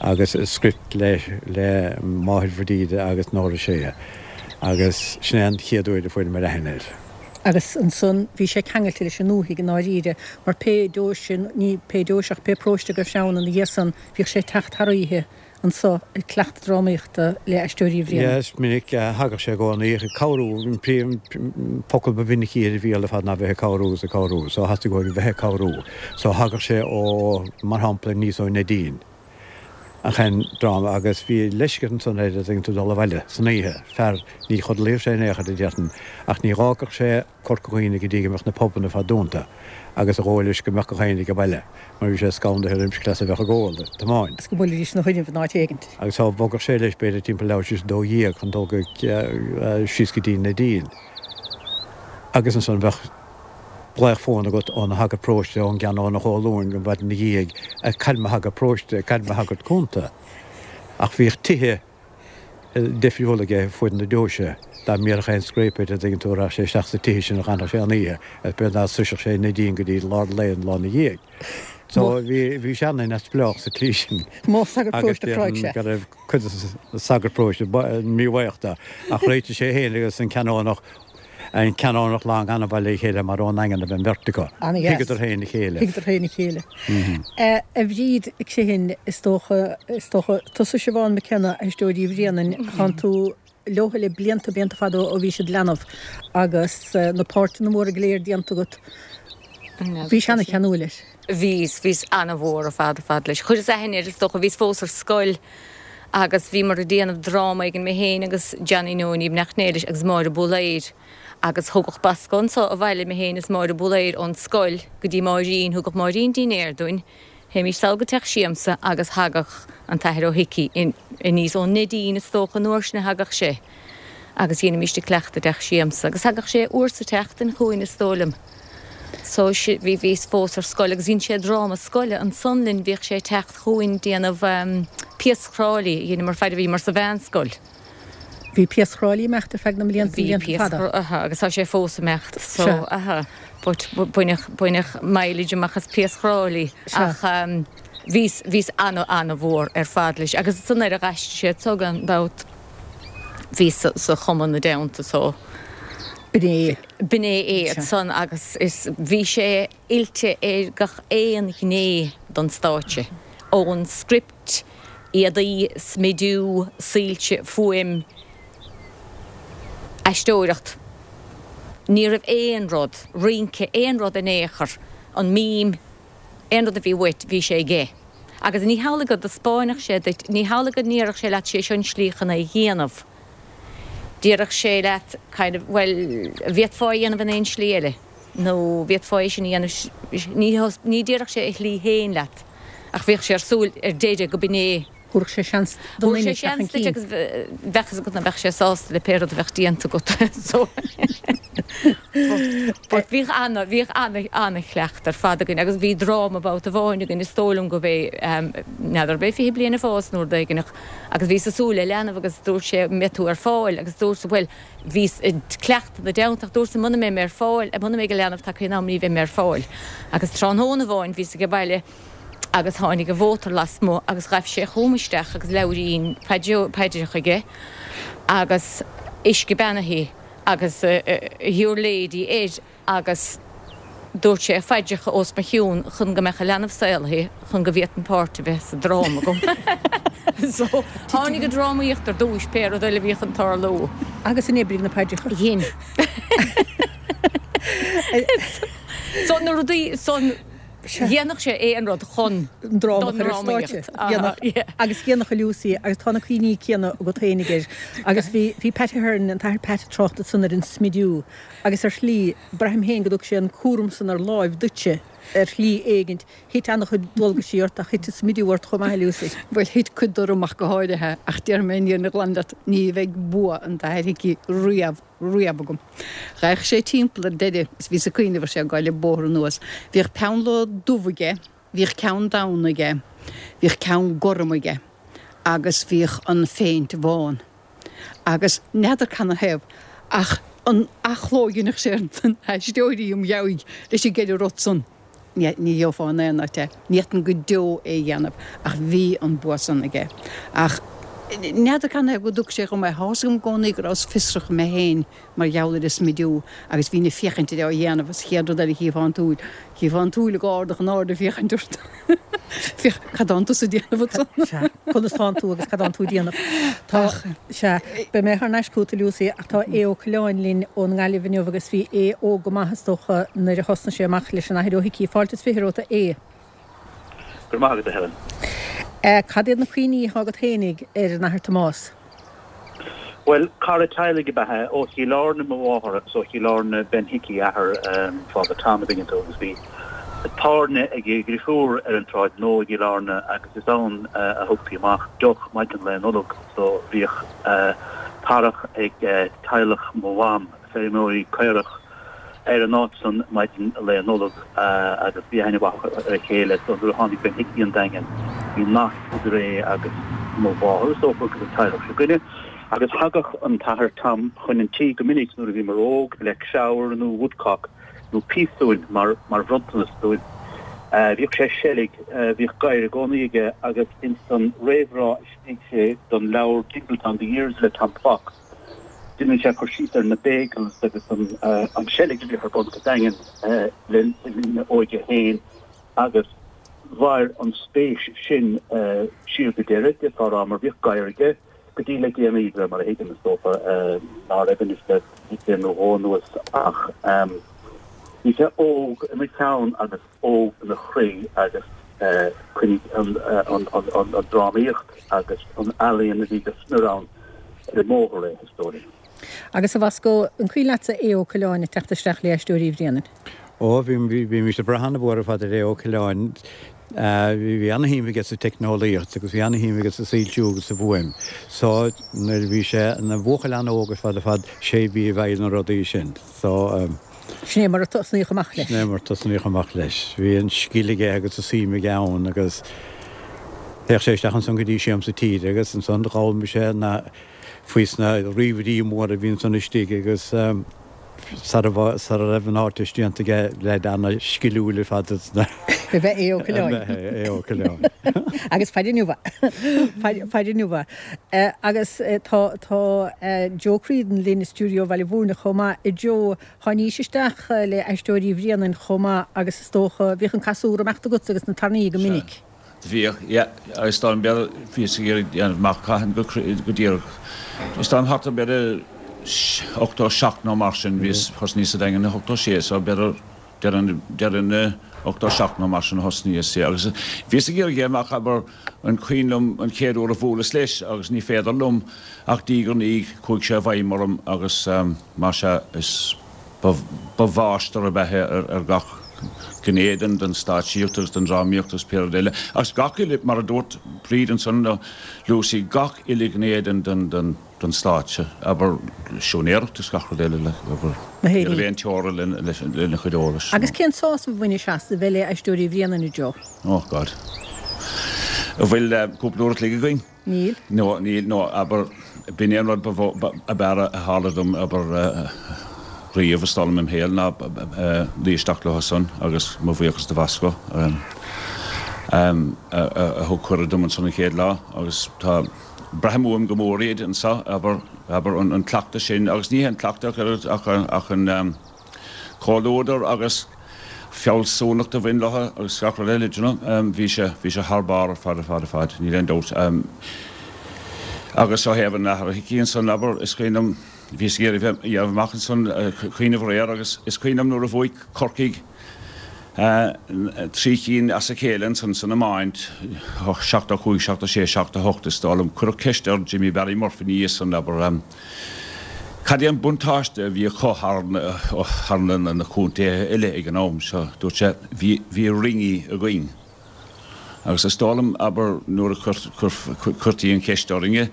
agus script le le máthair Bhríde agus Nóra Sé agus sin é an chéad uair a fuaireamar aithne air. Agus ansan bhí sé ceangailte leis an ndúthaigh i ndáiríre mar pé deoise, ní pé deoise ach pé paróiste go raibh sé ann ina dhiaidh san bhíodh sé ag teacht thar oíche anso ag cleachtadh drámaíochta le Aisteoirí Uí Bhriain. Is minic a thagadh sé i gcónaí ag cabhrú, an príomh focal ba mhinicí ar a bhéal ar fad ná bheith ag cabhrú agus ag cabhrú, so theastaigh uaidh bheith ag cabhrú. So thagadh sé ó, mar shampla, aníos ó Neidín chun dráma agus bhí leisce ansan air a dtuigeann tú dul abhaile san oíche, fear, ní chodlaíodh sé in aon chor a déarfainn, ach ní dh'fhágfadh sé Corca Dhuibhne go dtí go mbeadh na pubanna ar fad dúnta agus a dhóigh leis go mbeadh gach éinne ag baile mar bhí sé scanraithe roimis cleas a bheadh ag ól, ag tiomáint. Is go mbuailfidís ina choinnibh in áit éigint. Agus so bhogadh sé leis b'fhéidir timpeall leathuair tar éis a 12 chun dul go síos go dtí Neidín agus ansan bheadh glaoch fóin agat óna shagart paróiste ón gCeanónach Ó Luain an mhaidin ina dhiaidh cá bhfuil mo shagart paróiste, cá bhfuil mo shagart cúnta. Ach bhíodh tithe difriúla aige fuaid na deoise. Dá mbéarfadh aon scréip air, a dtuigeann tú, rachadh sé isteach sa tithe sin a dh'fhanfadh sé an oíche, agus b'fhéidir ná sroisfeadh sé Neidín go dtí lár lae an lá 'na dhiaidh. So bhí, bhí sé an-neamhspleách sa tslí sin. Modh sagart Agus paróiste a chráigh déarfainn sé. go raibh cuid de na sagairt paróiste míbhuíoch de. Ach réitigh sé féin agus an Canónach, an Canónach Long an-mhaith le chéile mar ón nDaingean a bhí an bheirt acu. An-dheas. Thuigeadar féin a chéile. Thuigeadar féin a chéile. A Bhríd, Criomhthain, is dócha, is dócha, tusa Siobhán McKenna, Aisteoirí Uí Bhrianain, tánn tú leotha le blianta, blianta fada ó bhí siad leanbh agus na páirteanna móra go léir déanta agat. Bhís ana-cheanúil air. Bhíos, bhíos ana-mhór ar fad, ar fad leis. Chuireas aithne air, is dócha, bhíos fós ar scoil agus bhíomar ag déanamh dráma éigin, mé féin agus Johnny Neoiní Neachnéilis agus Máire Búlaeir agus thugadh Bosco anso abhaile mé féin is Máire Búlaeir ón scoil go dtí Máirín, thugadh Máirín dinnéar dúinn, théimís sall go teach siamsa agus thagadh an tAthair Ó hIcí aníos ón Neidín is dócha an uair sin a thagadh sé agus dheinimíst ag cleachtadh i dteach siamsa agus thagadh sé uair sa tseachtain chugainn is dóigh liom. So bhí, bhíos fós ar scoil agus dhein sé dráma scoile ansan linn, bhíodh sé ag teacht chugainn déanamh Piaras Thráilí a dheineamar faid a bhíomar sa mheánscoil. Bhí Piaras Thráilí ag imeacht ar feadh na mblianta, Bhí blianta Piaras, fada. aha, agus tá sé fós ag imeacht, so, Sea. aha, but baineadh, baineadh mileage amach as Piaras Thráilí Sea. ach bhíos, bhíos ana, ana-mhór ar fad leis agus ansan nuair a d'aistrigh sé anso gan dabht. Bhíos sa chumann ina dteannta so. B'in é. B'in é é ansan agus is bhí sé oilte ar gach aon ghné don stáitse, ón script, éadaí, smidiú, soilse, fuaim, aisteoireacht. Ní raibh aon rud, rince, aon rud in aon chor, an mím, aon rud a bhí uait, bhí sé aige. Agus ní hamhlaidh go dtaispeáinfeadh sé duit, ní hamhlaidh go ndéarfadh sé leat sé seo an slí chun é a dhéanamh. Déarfadh sé leat kind of, bhuel, bhféadfá é a dhéanamh in aon slí eile nó bhféadfá é sin a dhéanamh, ní, ní déarfadh sé a shlí féin leat ach bhíodh sé ar súil ar deireadh go b'in é. Thabharfadh sé seans don Thabharfadh duine sé teacht chun seans duit cinn. agus bheadh fhios agat nach mbeadh sé sásta le pé rud a bheadh déanta agat so but bhíodh ana, bhíodh ana, ana-chleachtadh ar fad againn agus bhí dráma babhta amháin againn is dóigh liom go b'é, n'fheadar ab é 20 bliain ag fás nó rud éigin ach Agus bhíos ag súil le leanbh agus dúirt sé an mbeidh tú ar fáil agus dúrt bhuel bhíos ag cleachtadh ina dteannta ach dúrt muna mbeidh mé ar fáil, muna mbeidh an leanbh tagtha in am ní bheidh mé ar fáil. Agus tráthnóna amháin bhíos age baile agus tháinig an mhótar lasmuigh agus ghaibh sé chugam isteach agus leabhairín paidreacha aige agus uisce beannaithe agus Your Lady air. agus dúirt sé phaidreacha os mo chionn chun go mbeadh an leanbh saolaithe chun go bhféadfainn páirt a bheith sa dráma agam. So, tháinig an drámaíocht ar dtúis, pé rud eile a bhí chun tarlú. Agus an oibrigh na paidreacha? Dhein. So, na rudaí san, dhéanfadh sé aon rud chun an dráma a chur ar stáitse. Dhéanfadh. Agus dhéanfadh a Lucy, agus tá na cuimhní céanna agat féinig air. Agus bhí, bhí Pat Ahern, an tAthair Pat ag trácht ansan ar an smidiú. Agus ar shlí, braithim féin go dtug sé an cúram san ar láimh duitse, ar shlí éigint. Thit an-chuid dualgaisí ort ach thit an smidiú ort chomh maith, a Lucy. Bhuel, thit cuid orm ach go háirithe, ach déarfaidh mé an fhírinne ghlan leat, ní bheidh bua an tAthair Hickey riamh, riamh agam. Ghabhadh sé timpeall ar deireadh is bhíos ag cuimhneamh ar sé ag gabháil an bóthar anuas. Bhíodh peannlóg dubh aige, bhíodh ceann donn aige, bhíodh ceann gorm aige agus bhíodh an phéint bhán. Agus n'fheadar canathaobh ach an athchló a dheineadh sé ar na haisteoirí im dheabhaidh leis an gceithre rud san, ní gheofá in aon áit é. Ní fhéadfainn go deo é a dhéanamh ach bhí an bua san aige. Ach n'fheadar canathaobh go dtug sé dhom é. Tá 'fhios agam i gcónaí go rabhas fiosrach mé féin mar gheall ar an smidiú agus bhínn ag féachaint air á dhéanamh agus chéad rud eile chífeá an tsúil, chífeá an tsúil ag ardach in airde ag féachaint ort. Féach, cad tánn tusa ag déanamh ansan? Sea, conas tánn tú agus cad tánn tú ag déanamh? Tá, sea, beidh mé thar n-ais chugat a Lucy ach tá Aodh Ó Coileáin linn ón nGaillimh inniu agus bhí Aodh óg go maith is dócha nuair a thosnaigh sé amach leis an Athair Ó hIcí. Fáilte is fiche romhat a Aodh. Go raibh maith agat, a Helen. Cad iad na cuimhní atá agat fhéinig ar an Athair Tomás? Bhuel, cara teaghlaigh ab ea é, ó Chill Airne mo mháthair agus ó Chill Airne Ben Hickey a athair, Father Tom a dtuigeann tú, agus bhí tábhairne ag a dhrifiúr ar an tSráid Nua i gCill Airne agus is ann a thugtaí amach deoch maidin Lae Nollag so bhíodh tarrach ag teaghlach mo mham, feirmeoirí caorach, ar an áit san maidin Lae Nollag agus bhí aithne mhaith acu ar a chéile so nuair a tháinig Ben Hickey an Daingean bhí nasc idir é agus mo mháthair is dócha agus an teaghlach seo againne agus thagadh an tAthair Tom chun an tí go minic nuair a bhíomar óg le creabhar nó woodcock nó piasún mar mar bhronntanas dúinn. Bhíodh sé ag seilg, bhíodh gadhar i gcónaí aige agus ins an réamhrá a scrígh sé don leabhar Dingletown The Years le Tom Fox, Déanann sé cur síos ar na bagels agus an seilg a bhíodh ar bun sa Daingean le linn a óige féin agus mhair an spéis sin siar go deireadh, d'fhéadfá a rá, mar bhíodh gadhar aige go dtí le déanaí, de réir mar a thuigim, is dócha ná raibh anois le bliain nó dhó anuas ach bhí sé óg ina cheann agus óg ina chroí agus choinnigh an drámaíocht agus an ealaíon a bhí go smior ann ar an mbóthar é, is dóigh liom. Agus a Bhosco, an cuimhin leatsa Aodh Ó Coileáin ag teacht isteach le Aisteoirí Bhréanainn? Ó, bhí, bhímís ag brath an-mhór ar fad ar Aodh Ó Coileáin. Bhí an-shuim aige sa teicneolaíocht agus bhí an-shuim aige sa soilsiú agus sa bhfuaim. So, nuair a bhí sé ina bhuachaill an-óg ar fad ar fad, sé a bhí i bhfeighil na rudaí sin. So. Sin é mar a tosnaíodh amach leis. Sin é mar a tosnaíodh amach leis. Bhí an scil aige agus an suim aige ann agus théadh sé isteach ansan go dtí Siamsa Tíre agus ansan d'fhoghlaim sé na, faoi sna ríomhairí móra a bhí ansan istigh agus. Sara raibh an Ardteist déanta aige, leaid ana-sciliúil ar fad sna. Ab ea Aodh Ó Coileáin. Ab ea Aodh Ó Coileáin. Agus faire inniu é. Faire inniu é. Agus tá tá Joe Creedon linn i stiúideo Bhaile Mhúirne chomh maith. A Joe, tháinís isteach le Aisteoirí Bhréanainn chomh maith agus is dócha, bhíodh an casúr ag imeacht agatsa agus na tairní go minic. Bhíodh, yeah. Is dóigh liom, b'fhéidir, bhíos ag iarraidh déanamh amach cathain go díreach. Is dóigh liom thart ar b'fhéidir 87 nó mar sin, bhíos, thosnaíos sa Daingean i 86 so b'fhéidir deireadh, deireadh na 87 nó mar sin a thosnaíos, yeah. Agus bhíos ag iarraidh déanamh amach, abair, an cuimhin liom an chéad uair a bhuaileas leis agus ní féidir liom ach diaidh ar ndiaidh chuaigh sé i bhfeidhm orm agus mar sea is, Ba mháistir ab ea é ar gach gné den stáitsíocht agus den drámaíocht agus pé rud eile. Agus gach uile, mar a dúirt Bríd ansan, nó Lucy, gach uile ghné den stáitse, abair, siúinéireacht agus gach rud eile, like, abair, ní raibh aon teora lena chuid eolais. Agus cén sásamh a bhainis as a bheith le Aisteoirí Bhréanainn, a Joe? Oh God. An bhfuil cúpla uair a chloig againn? Níl. No, níl, no, abair, b'in é an rud ba mhó, ab fhearr a tharla dom, abair, riamh, is dóigh liom, im shaol, ná luí isteach leo san agus mo bhuíochas do Bhosco, a thug cuireadh dom ansan an chéad lá agus tá, braithim uaim go mór iad anso, abair, abair, an cleachtadh sin agus ní hé an cleachtadh ach oiread ach an. comhluadar agus fealsúnacht a bhain leo agus gach rud eile, do you know. Bhí sé, bhí sé thar barr ar fad, ar fad, ar fad, níl aon dabht. Agus ó thaobh an Athar Hickey ansan, abair, is cuimhin liom, bhíos ag iarraidh a dhéanamh amach ansan, cuimhneamh aréir agus is cuimhin liom nuair a bhuaigh Corcaigh 3 cinn as a chéile ansan san iomáint, 75, 76, 78 is dóigh liom, cuireadh ceist ar Jimmy Barry Murphy ina dhiaidh san, abair, Cad é an buntáiste a bhí acu thar na contaetha eile ag an am seo? Dúirt sé, Bhí, bhí ringy againn. Agus is dóigh liom, abair, nuair a chuirtí an cheist orainne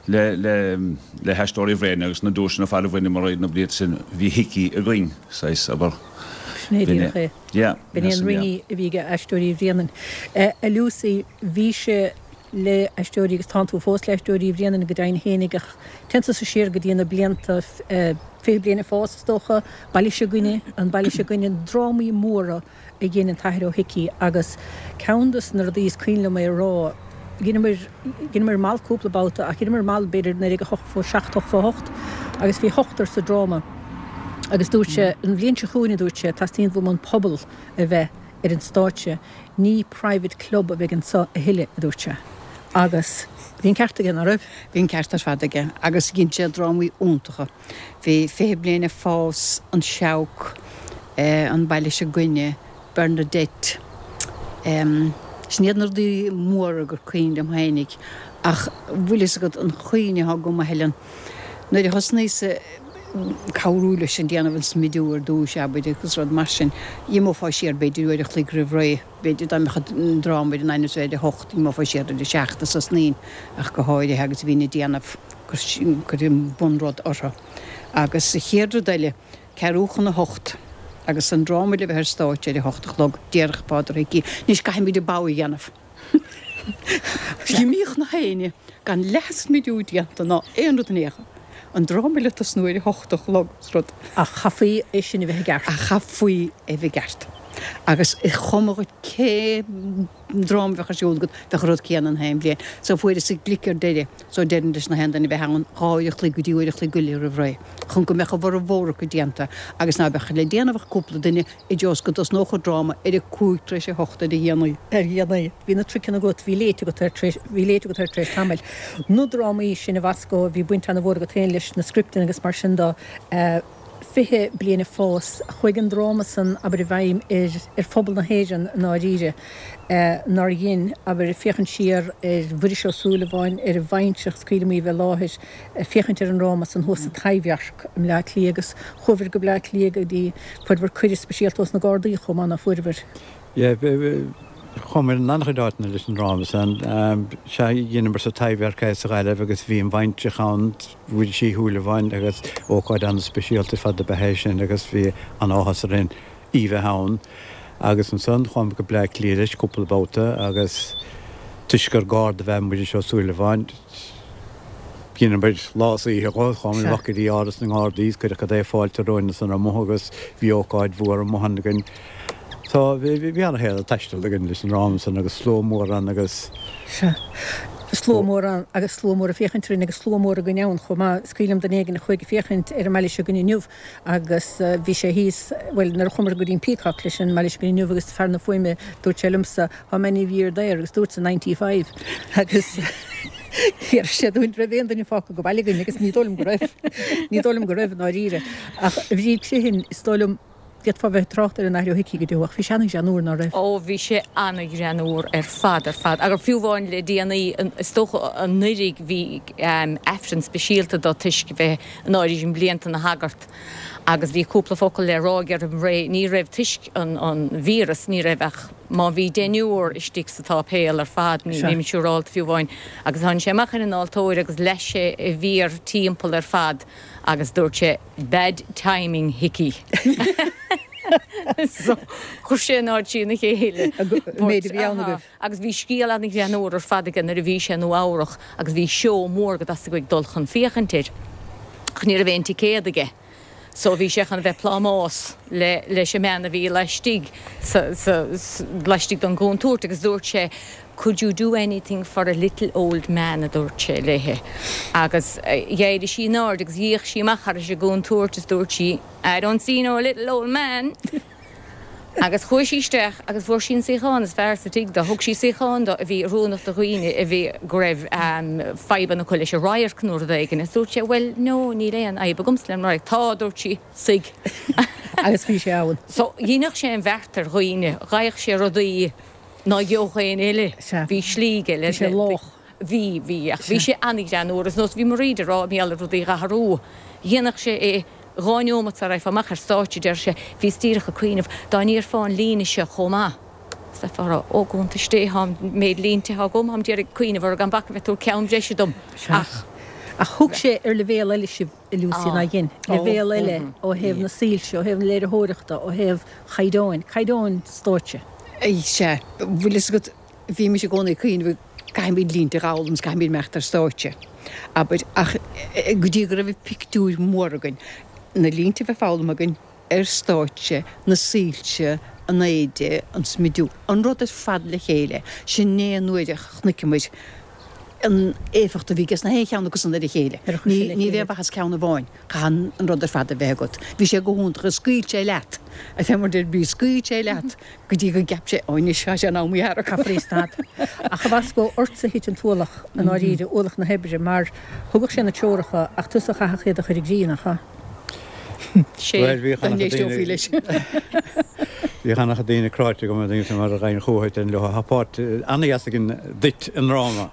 le, le, le hAisteoirí Bhréanainn agus na duaiseanna ar fad a bhaineamar na blianta sin, bhí Hickey againn, saghas, abair. Sin é díreach é. Yeah. B'in é an ringy a bhí ag Aisteoirí Bhréanainn. A Lucy, bhí sé le Aisteoirí agus tánn tú fós le Aisteoirí Bhréanainn go deimhin fhéinig ach téann tusa siar go dtí na blianta 20 bliain ag fás is dócha, Baile S'againne, an Baile S'againne, drámaí móra a dhein an tAthair Ó hIcí agus ceann dos na rudaí is cuimhin liom é a rá, dheineamar, dheineamar mall cúpla babhta ach dheineamar mall b'fhéidir 1987, 88 agus bhí ochtar sa dráma agus dúirt sé, an bhliain seo chugainn a dúirt sé, teastaíonn uaim an pobal a bheith ar an stáitse. Ní private club a bheidh anso a thuilleadh, a dúirt sé. Agus bhí an ceart aige, ná raibh? Bhí an ceart ar fad aige. Agus dhein sé drámaí iontacha. Bhí Fiche Bliain ag Fás, An Seabhac, An Baile S'Againne, Bernadette. Sin iad na rudaí móra gur cuimhin liom fhéinig. Ach bhfuil fhios agat an chuimhne atá agam, a Helen, nuair a thosnaíos cabhrú leis an déanamh an smidiú ar dtúis, abair, agus rud mar sin. Dh'imeofá siar b'fhéidir uair a chloig roimh ré, b'fhéidir dá mbeadh an dráma ar an ainm is ar a hocht, d'imeofá siar ar a seacht is thosnaínn ach go háirithe agus bhínn ag déanamh, cur an bunrud orthu. Agus an chéad rud eile, ceathrú chun a hocht agus an dráma le bheith ar stáitse ar a hocht a chlog, déarfadh Peadar Hickey, anois caithfimid an bogha a dhéanamh. D'imíodh na héinne gan leathsmidiú déanta ná aon rud in aon chor. An dráma le tosnú ar a hocht a chlog is rud. Ach chaithfí é sin a bheith i gceart. Ach chaithfí é a bheith i gceart. Agus is cuma dhuit cé dráma a bheadh ar siúl agat, bheadh an rud céanna na haon bhliain. So fuaireas an glic ar deireadh. So deirim leis na haon duine a bheith ann dhá uair a chloig go dtí uair a chloig go leith roimh ré chun go mbeadh a bhformhór acu déanta agus ná beadh le déanamh ach cúpla duine i dtreo is go dtosnódh an dráma ar a cúig tar éis a hocht ar a dhéanaí. Ar a dhéanaí. Bhí na triceanna agat, bhí léite agat air tar éis, bhí léite agat air tar éis tamaill. Na drámaí sin a Bhosco, bhí baint ana-mhór agat féin leis na scripteanna agus mar sin de. 20 bliain ag fás. Chuaigh an dráma san, abair, i bhfeidhm ar, ar phobal na hÉireann i ndáiríre, nár dhein, abair, féachaint siar ar Mhuiris Ó Súilleabháin, ar an bhaintreach, is cuimhin liom í a bheith i láthair, féachaint ar an ndráma san thuas sa Taibhdhearc i mBleá Cliath agus chuabhair go Bleá Cliath go dtí, fuaireabhair cuireadh speisialta ós na Gardaí chomh maith, ná fuaireabhair? Yeah, chuamar in an-chuid áiteanna leis an dráma san. Sea, dheineamar sa Taibhdhearc é sa Ghaillimh agus bhí an bhaintreach ann, Mhuiris Uí Shúilleabháin, agus ócáid an-speisialta ar fad ab ea é sin agus bhí an-áthas orainn í bheith ann. Agus ansan chuamar go Bleá Cliath leis cúpla babhta agus toisc gur Garda ab ea Muiris Ó Súilleabháin. Dheineamair lá is oíche dhó, chuamair amach go dtí Áras na nGardaí is cuireadh cad é fáilte romhainn ansan amuigh agus bhí ócáid mhór amuigh ann againn. So bhí ana-shaol ag taisteal againn leis an ndráma san agus slua mór ann agus. Sea. Slua mór ann agus slua mór ag féachaint orainn agus slua mór againn ann chomh maith. Is cuimhin liom duine éigin a chuaigh ag féachaint ar an mbaile seo againn inniu agus bhí sé thíos, bhuel nuair a chuamar go dtí an Peacock leis an mbaile seo againn inniu agus fear na fuaime, dúirt sé liomsa, how many of ye are there agus dúrtsa 95 agus D'fhiafraigh sé dúinn raibh aon duine fágtha go baile againn agus ní dóigh liom go raibh. Ní dóigh liom go raibh i ndáiríre. Ach a Bhríd Criomhthain, is dóigh liom, d'fhéadfá bheith ag trácht ar an Athair Ó hIcí go deo ach bhí sé an-ghreannúr, ná raibh? Ó bhí sé an-ghreannúr ar fad, ar fad. Agus fiú amháin le déanaí, is dócha anuiridh, bhí Aifreann speisialta dó toisc bheith in áirithe blianta ina shagart agus bhí cúpla focal le rá aige roimh ré. Ní raibh, toisc an víreas, ní raibh ach Má bhí deichniúr istigh sa tsáipéal ar fad, nílim siúrálta fiú amháin, agus tháinig sé amach ar an altóir agus leath sé a mhéar timpeall ar fad agus dúirt sé Bad timing Hickey. So, chuir sé an aird trína chéile. An méid a bhí ann agaibh. Agus bhí scéal an-ghreannúr ar fad aige nuair a bhí sé i Nua Eabhrach agus bhí seó mór go dteastaigh uaidh dul chun féachaint air ach ní raibh aon ticéad aige. So bhí sé chun a bheith plámás le leis an mbean a bhí laistigh sa sa laistigh den gcontúirt agus dúirt sé could you do anything for a little old man a dúirt sé léi agus d'éirigh sí in airde agus d'fhéach sí amach thairis an gcontúirt is dúirt sí I don't see no little old man. Agus chuaigh sí isteach agus fuair sí an suíochán is fearr sa tigh dó. Thug sí suíochán dó a bhí oiriúnach do dhaoine a bhí, go raibh fadhbanna acu leis an radharc nó rud éigin. Agus dúirt sé, Bhuel, no, níl aon fhadhb agamsa le an radharc. Tá, a dúirt sí, suigh. Agus bhí sé ann. So, dheineadh sé an bheart ar dhaoine. Gheibheadh sé rudaí ná gheobhadh éinne eile. Sea. Bhí slí aige le. Bhí sé lách. Bhí, bhí. Ach bhí sé an-ghreannúr. Is nós, bhí Mairéad ag rá, mar gheall ar rudaí a dh'athrú. Dhéanfadh sé é. 2 neomat sara raghfá amach ar stáitse, deir sé, bhíos díreach ag cuimhneamh, dá ndéarfá an líne seo chomh maith, is bheifeá ag rá, ó, gcuntais Dé, tá an méid línte atá agam, táim d'iarraidh cuimhneamh orthu gan bac a bheith ag tabhairt ceann breise dom. Ach. Ach thug sé ar leibhéal eile sibh, a Lucy, nár dhein? Leibhéal eile ó thaobh na soilse, ó thaobh na léiritheoireachta, ó thaobh chaighdeáin, caighdeáin stáitse. Sea, bhfuil fhios agat, Bhímis i gcónaí ag cuimhneamh caithfimid línte a dh'fhoghlaim is caithfimid imeacht ar stáitse, abair, ach go dtí go raibh pictiúir mór againn, na línte a bheith foghlamtha againn ar stáitse, na soilse, an éide, an smidiú, an rud ar fad le chéile, sin é an uair a chonaiceamair an éifeacht a bhí aige sna haon cheann acu san ar a chéile. Ní bheadh maitheas ceann amháin, caithfidh an rud ar fad a bheith agat. Bhí sé go hiontach, is scaoil sé leat, a fé mar deir Bríd, scaoil sé leat. Go dtí go gceap sé, Ó anois, tá sé in am í a tharrac. Caithfear í a stad. Ach a Bhosco, ortsa a thit an t-ualach, i ndáiríre, ualach na hoibre, mar thugadh sé na treoracha ach tusa a chaithfeadh iad a chur i gcrích, nach ea? Sé. Bhuel, bhíodh Dá an-chuid n-éisteofaí daoine, leis. bhíodh an-chuid daoine cráite agam, daoine mar a ghaibhinn chucu déarfainn leo, tá páirt an-dheas againn duit i ndráma.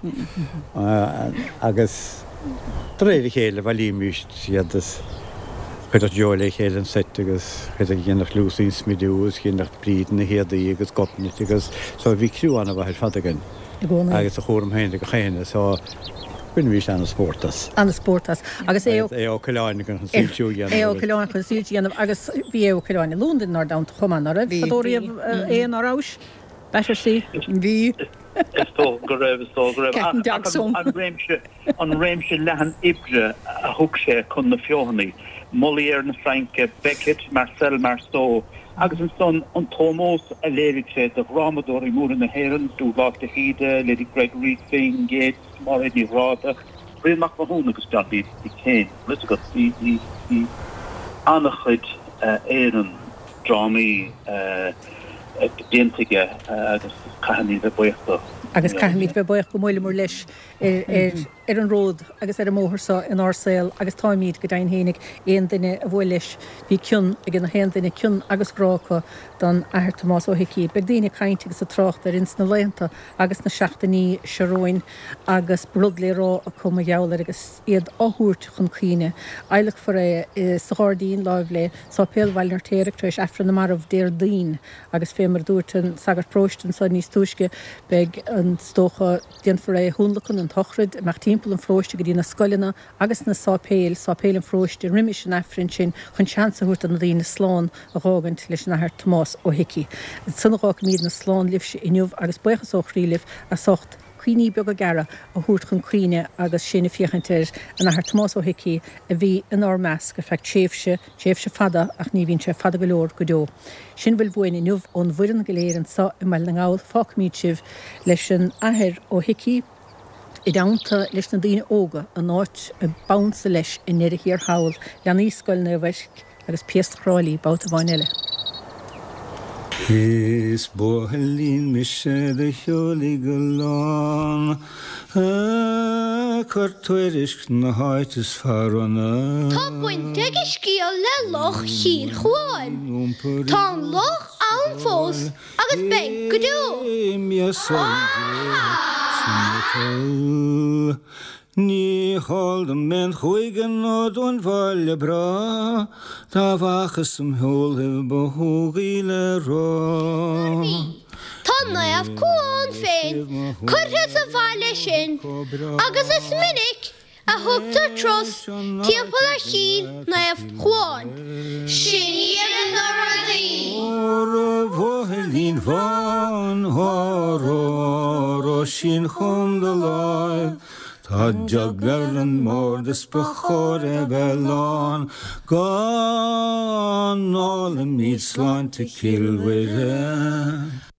Agus de réir a chéile bhailímís iad is chuirfeadh Joe le chéile an seit agus chuirfeadh dhéanfadh Lucy an smidiú agus dhéanfadh Bríd na héadaí agus Gobnait agus so bhí criú an-mhaith ar fad againn I gcónaí. agus a chúram féin ag gach éinne so bhainimís an-spórt as. An-spórt as. Agus Aodh Ó Coileáin chun an soilsiú a dhéanamh Aodh Ó Coileáin chun soilsiú a dhéanamh agus bhí Aodh Ó Coileáin i Londain inár dteannta chomh maith, ná raibh? Bhí. Fadó riamh é ná rabhais? Battersea. Bhí. Is dócha go raibh, is dócha go raibh. Cat and Ach Dog Song. an réimse, an réimse leathan oibre a thug sé chun na feothanaí, Molière na Fraince, Beckett, Marcel Marceau, agus ansan an t-ómós a léirigh sé do dhrámadóirí móra na hÉireann, Dúbhghlás de hÍde, Lady Gregory, Synge, Yeats, Máiréad Ní Ghráda, Brian Mac Mathúna agus John D. Kane. Bhfuil fhios agat, bhí, bhí, bhí an-chuid Éireann drámaí déanta aige agus caithfimid bheith buíoch dó. Agus caithfimid bheith buíoch go mbuaileamar leis ar an ród agus ar an mbóthar seo inár saol agus táimíd, go deimhin fhéinig, aon duine a bhuail leis, bhí cion ag na haon duine, cion agus grá acu don Athair Tomás Ó hIcí. Beidh daoine ag caint agus ag trácht air ins na laethanta agus na seachtainí seo romhainn agus rud le rá acu mar gheall air agus iad á thabhairt chun cuimhne. Adhlacfar é sa ghairdín láimh le Sáipéal Bhaile an Fheirtéaraigh tar éis Aifreann na Marbh Déardaoin agus fé mar a dúirt an sagart paróiste anso níos túisce beidh an, is dócha, déanfar é a thionlacan, an tsochraid, amach timpeall an pharóiste go dtí na scoileanna agus na sáipéil, sáipéil an pharóiste roimis an Aifreann sin chun seans a thabhairt do na daoine slán a dh'fhágaint leis an Athair Tomás Ó hIcí. Ansan a dh'fhágfaimídne slán libhse inniu agus buíochas ó chroí libh as ucht. Cuimhní beaga gearra a thabhairt chun cuimhne agus sinn ag féachaint ar an Athair Tomás Ó hIcí a bhí inár measc ar feadh tréimhse, tréimhse fada ach ní bhíonn sé fada go leor go deo. Sin a bhfuil uainn inniu ón bhfoireann go léir anso i mBaile na nGall. Fágfaimid sibh leis an Athair Ó hIcí i dteannta leis na daoine óga an áit a b'ansa leis i ndeireadh thiar thall, leanaí Scoil Naomh Eirc agus Piast Thrá Lí babhta amháin eile. Is buachaillín mise do shiúlaigh go lán Ag cur tuairisc na háit is fearr ionam. Tá baint ag an scéal le Loch Chill Chuáin. Tá an loch ann fós agus beidh go deo. Ní heol dom aon chúige nó dún bhaile breá dá bhfacthas im shiúl ba shóghaí le rá. Mar bhí. Tá Naomh Cuán féin curtha sa bhaile sin agus is minic a thugtar turas timpeall ar Chill Naomh Chuáin. Sin iad na rudaí. Óra bhuachaillín bhán, óró, óró, sín chugam do láimh, Tá jug ar an mbord is ba chóir é bheith lán, Go n-ólaimid sláinte Cill Mhuire.